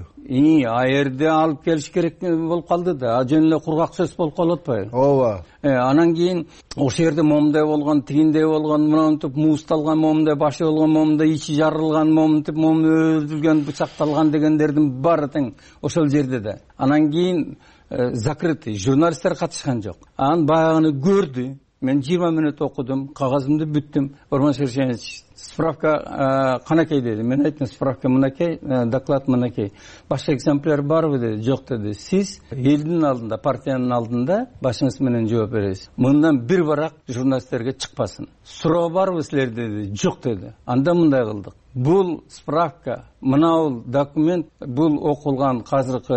А жерде алып келиш керек болуп калды да. Жөн эле кургак сөз болуп калып атпайбы? Ооба. Анан кийин ошол жерде момундай болгон, тигиндей болгон, мынантип муусталган, момундай башы болгон, момундай ичи жарылган, момунтип өлтүрүлгөн, бычакталган дегендердин баары тең ошол жерде да. Анан кийин закрытый, журналисттер катышкан жок. Анан баягыны көрдү. Мен 20 мүнөт окудум, кагазымды бүттүм. Урмаш Аршенович, справка канакей деди. Мен айттым, справка мынакей, доклад мынакей. Башка экземпляр барбы деди. Жок деди. Сиз элдин алдында, партиянын алдында башыңыз менен жооп бересиз. Мындан бир барак журналисттерге чыкпасын. Суроо барбы силерде деди. Жок деди. Анда мындай кылдык. Бул справка, мынау документ, бул окулган казыркы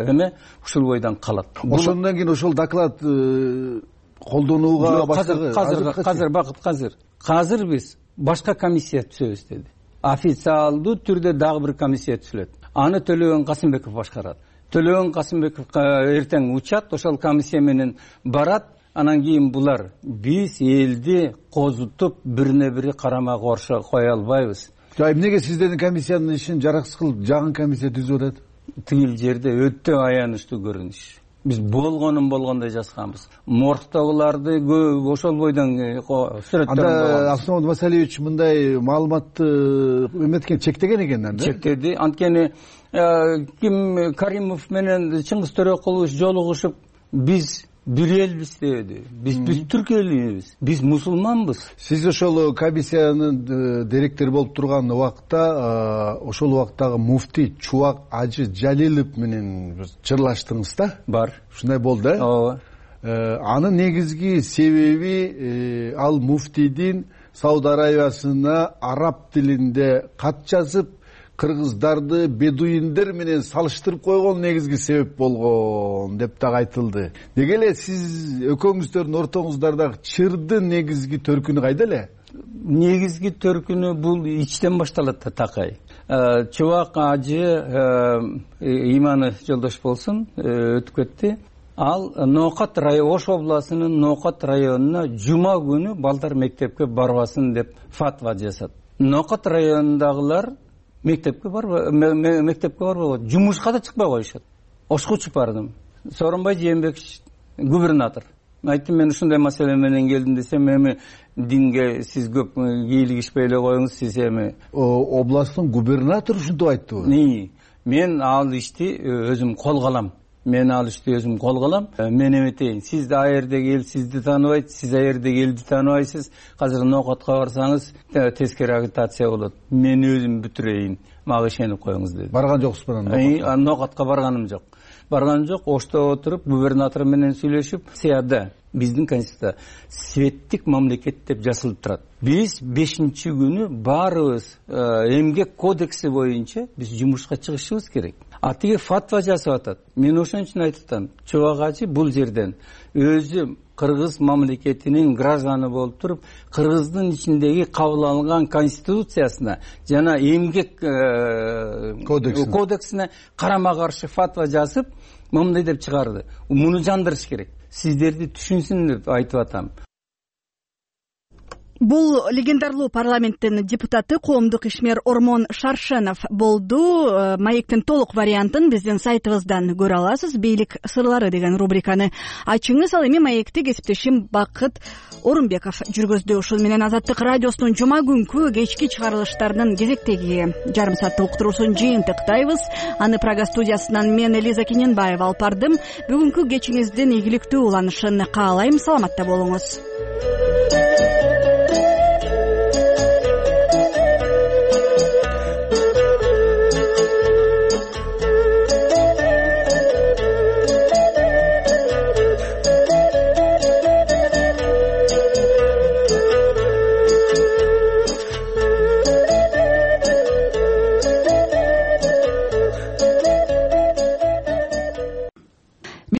эме ушул бойдон калат. Ошондон кийин ошол доклад колдонууга Казыр биз башка комиссия түзөбүз деди. Официалдуу түрдө дагы бир комиссия түзүлөт. Аны Төлөгөн Касымбеков башкарат. Төлөгөн Касымбеков эртең учат, ошол комиссия менен барат. Анан кийин булар биз элди козутуп бирине бири карама каршы кое албайбыз. Эмнеге сиздердин комиссиянын ишин жараксыз кылып жагын комиссия түзүп атат? Тигил жерде өтө аянычтуу көрүнүш. Биз болгондой жазганбыз. Моргтогуларды ошол бойдон сүрөттөрүн. Анда Абсамат Масалевич мындай маалыматты эметкен, чектеген экен анда. Чектеди. Анткени ким Каримов менен Чыңгыз Төрөкулович жолугушуп, биз бир элбиз деди. Биз түрк элибиз. Биз мусулманбыз. Сиз ошол комиссиянын директору болуп турган убакта, ошол убактагы муфтий Чубак Ажы Жалилов менен чырлаштыңыз да? Бар. Ушундай болду, э? Ооба. Анын негизги себеби ал муфтийдин Сауд Арабиясына араб тилинде кат жазып, кыргыздарды бедуиндер менен салыштырып койгон негизги себеп болгон деп дагы айтылды. Деге эле сиз экөөңүздөрдүн ортоңуздардагы чырдын негизги төркүнү кайда эле? Негизги төркүнү бул ичтен башталат да, такай. Чубак Ажы иманы жолдош болсун, өтүп кетти. ал Ноокат Ош областынын Ноокат районуна жума күнү балдар мектепке барбасын деп фатва жасат. Ноокат районундагылар мектепке барбайт, жумушка да чыкпай коюшат. Ошко учуп бардым. Сооронбай Жээнбекович губернатор айттым, мен ушундай маселе менен келдим десем, эми динге сиз көп кийлигишпей эле коюңуз, сиз эми областтын губернатору ушинтип айттыбы? Мен ал ишти өзүм колго алам. Мен эметейин. Сиз да аерде эл сизди тааныбайт, сиз аерде элди тааныбайсыз. Азыр Ноокатка барсаңыз тескери агитация болот. Мен өзүм бүтүрөйүн. Мага ишенип коюңуз деди. Барган жоксузбу Ноокатка? Ноокатка барганым жок. Ошто отуруп губернатор менен сүйлөшүп, сыяда биздин конституция светтик мамлекет деп жазылып турат. Биз 5-күнү баарыбыз эмгек кодекси боюнча биз жумушка чыгышыбыз керек. А тиги фатва жасап атат. Мен ошон үчүн айтып атам, Чубак ажы бул жерден өзү Кыргыз мамлекетинин гражданы болуп туруп, Кыргыздын ичиндеги кабыл алынган конституциясына жана эмгек кодексине карама каршы фатва жазып, мындай деп чыгарды. Муну жандырыш керек. Сиздерди түшүнсүн деп айтып атам. Бул легендарлуу парламенттин депутаты коомдук ишмер Ормон Шаршенов болду. Маектин толук вариантын биздин сайтыбыздан көрө аласыз. Бийлик сырлары деген рубриканы ачыңыз. Ал эми маекти кесиптешим Бакыт Орунбеков жүргөздү. Ушул менен Азаттык радиосунун жума күнкү кечки чыгарылыштарынын кезектеги жарым сааттык уктуруусун жыйынтыктайбыз. Аны Прага студиясынан мен Элиза Кененбаева алып бардым. Бүгүнкү кечиңиздин ийгиликтүү уланышын каалайм. Саламатта болуңуз.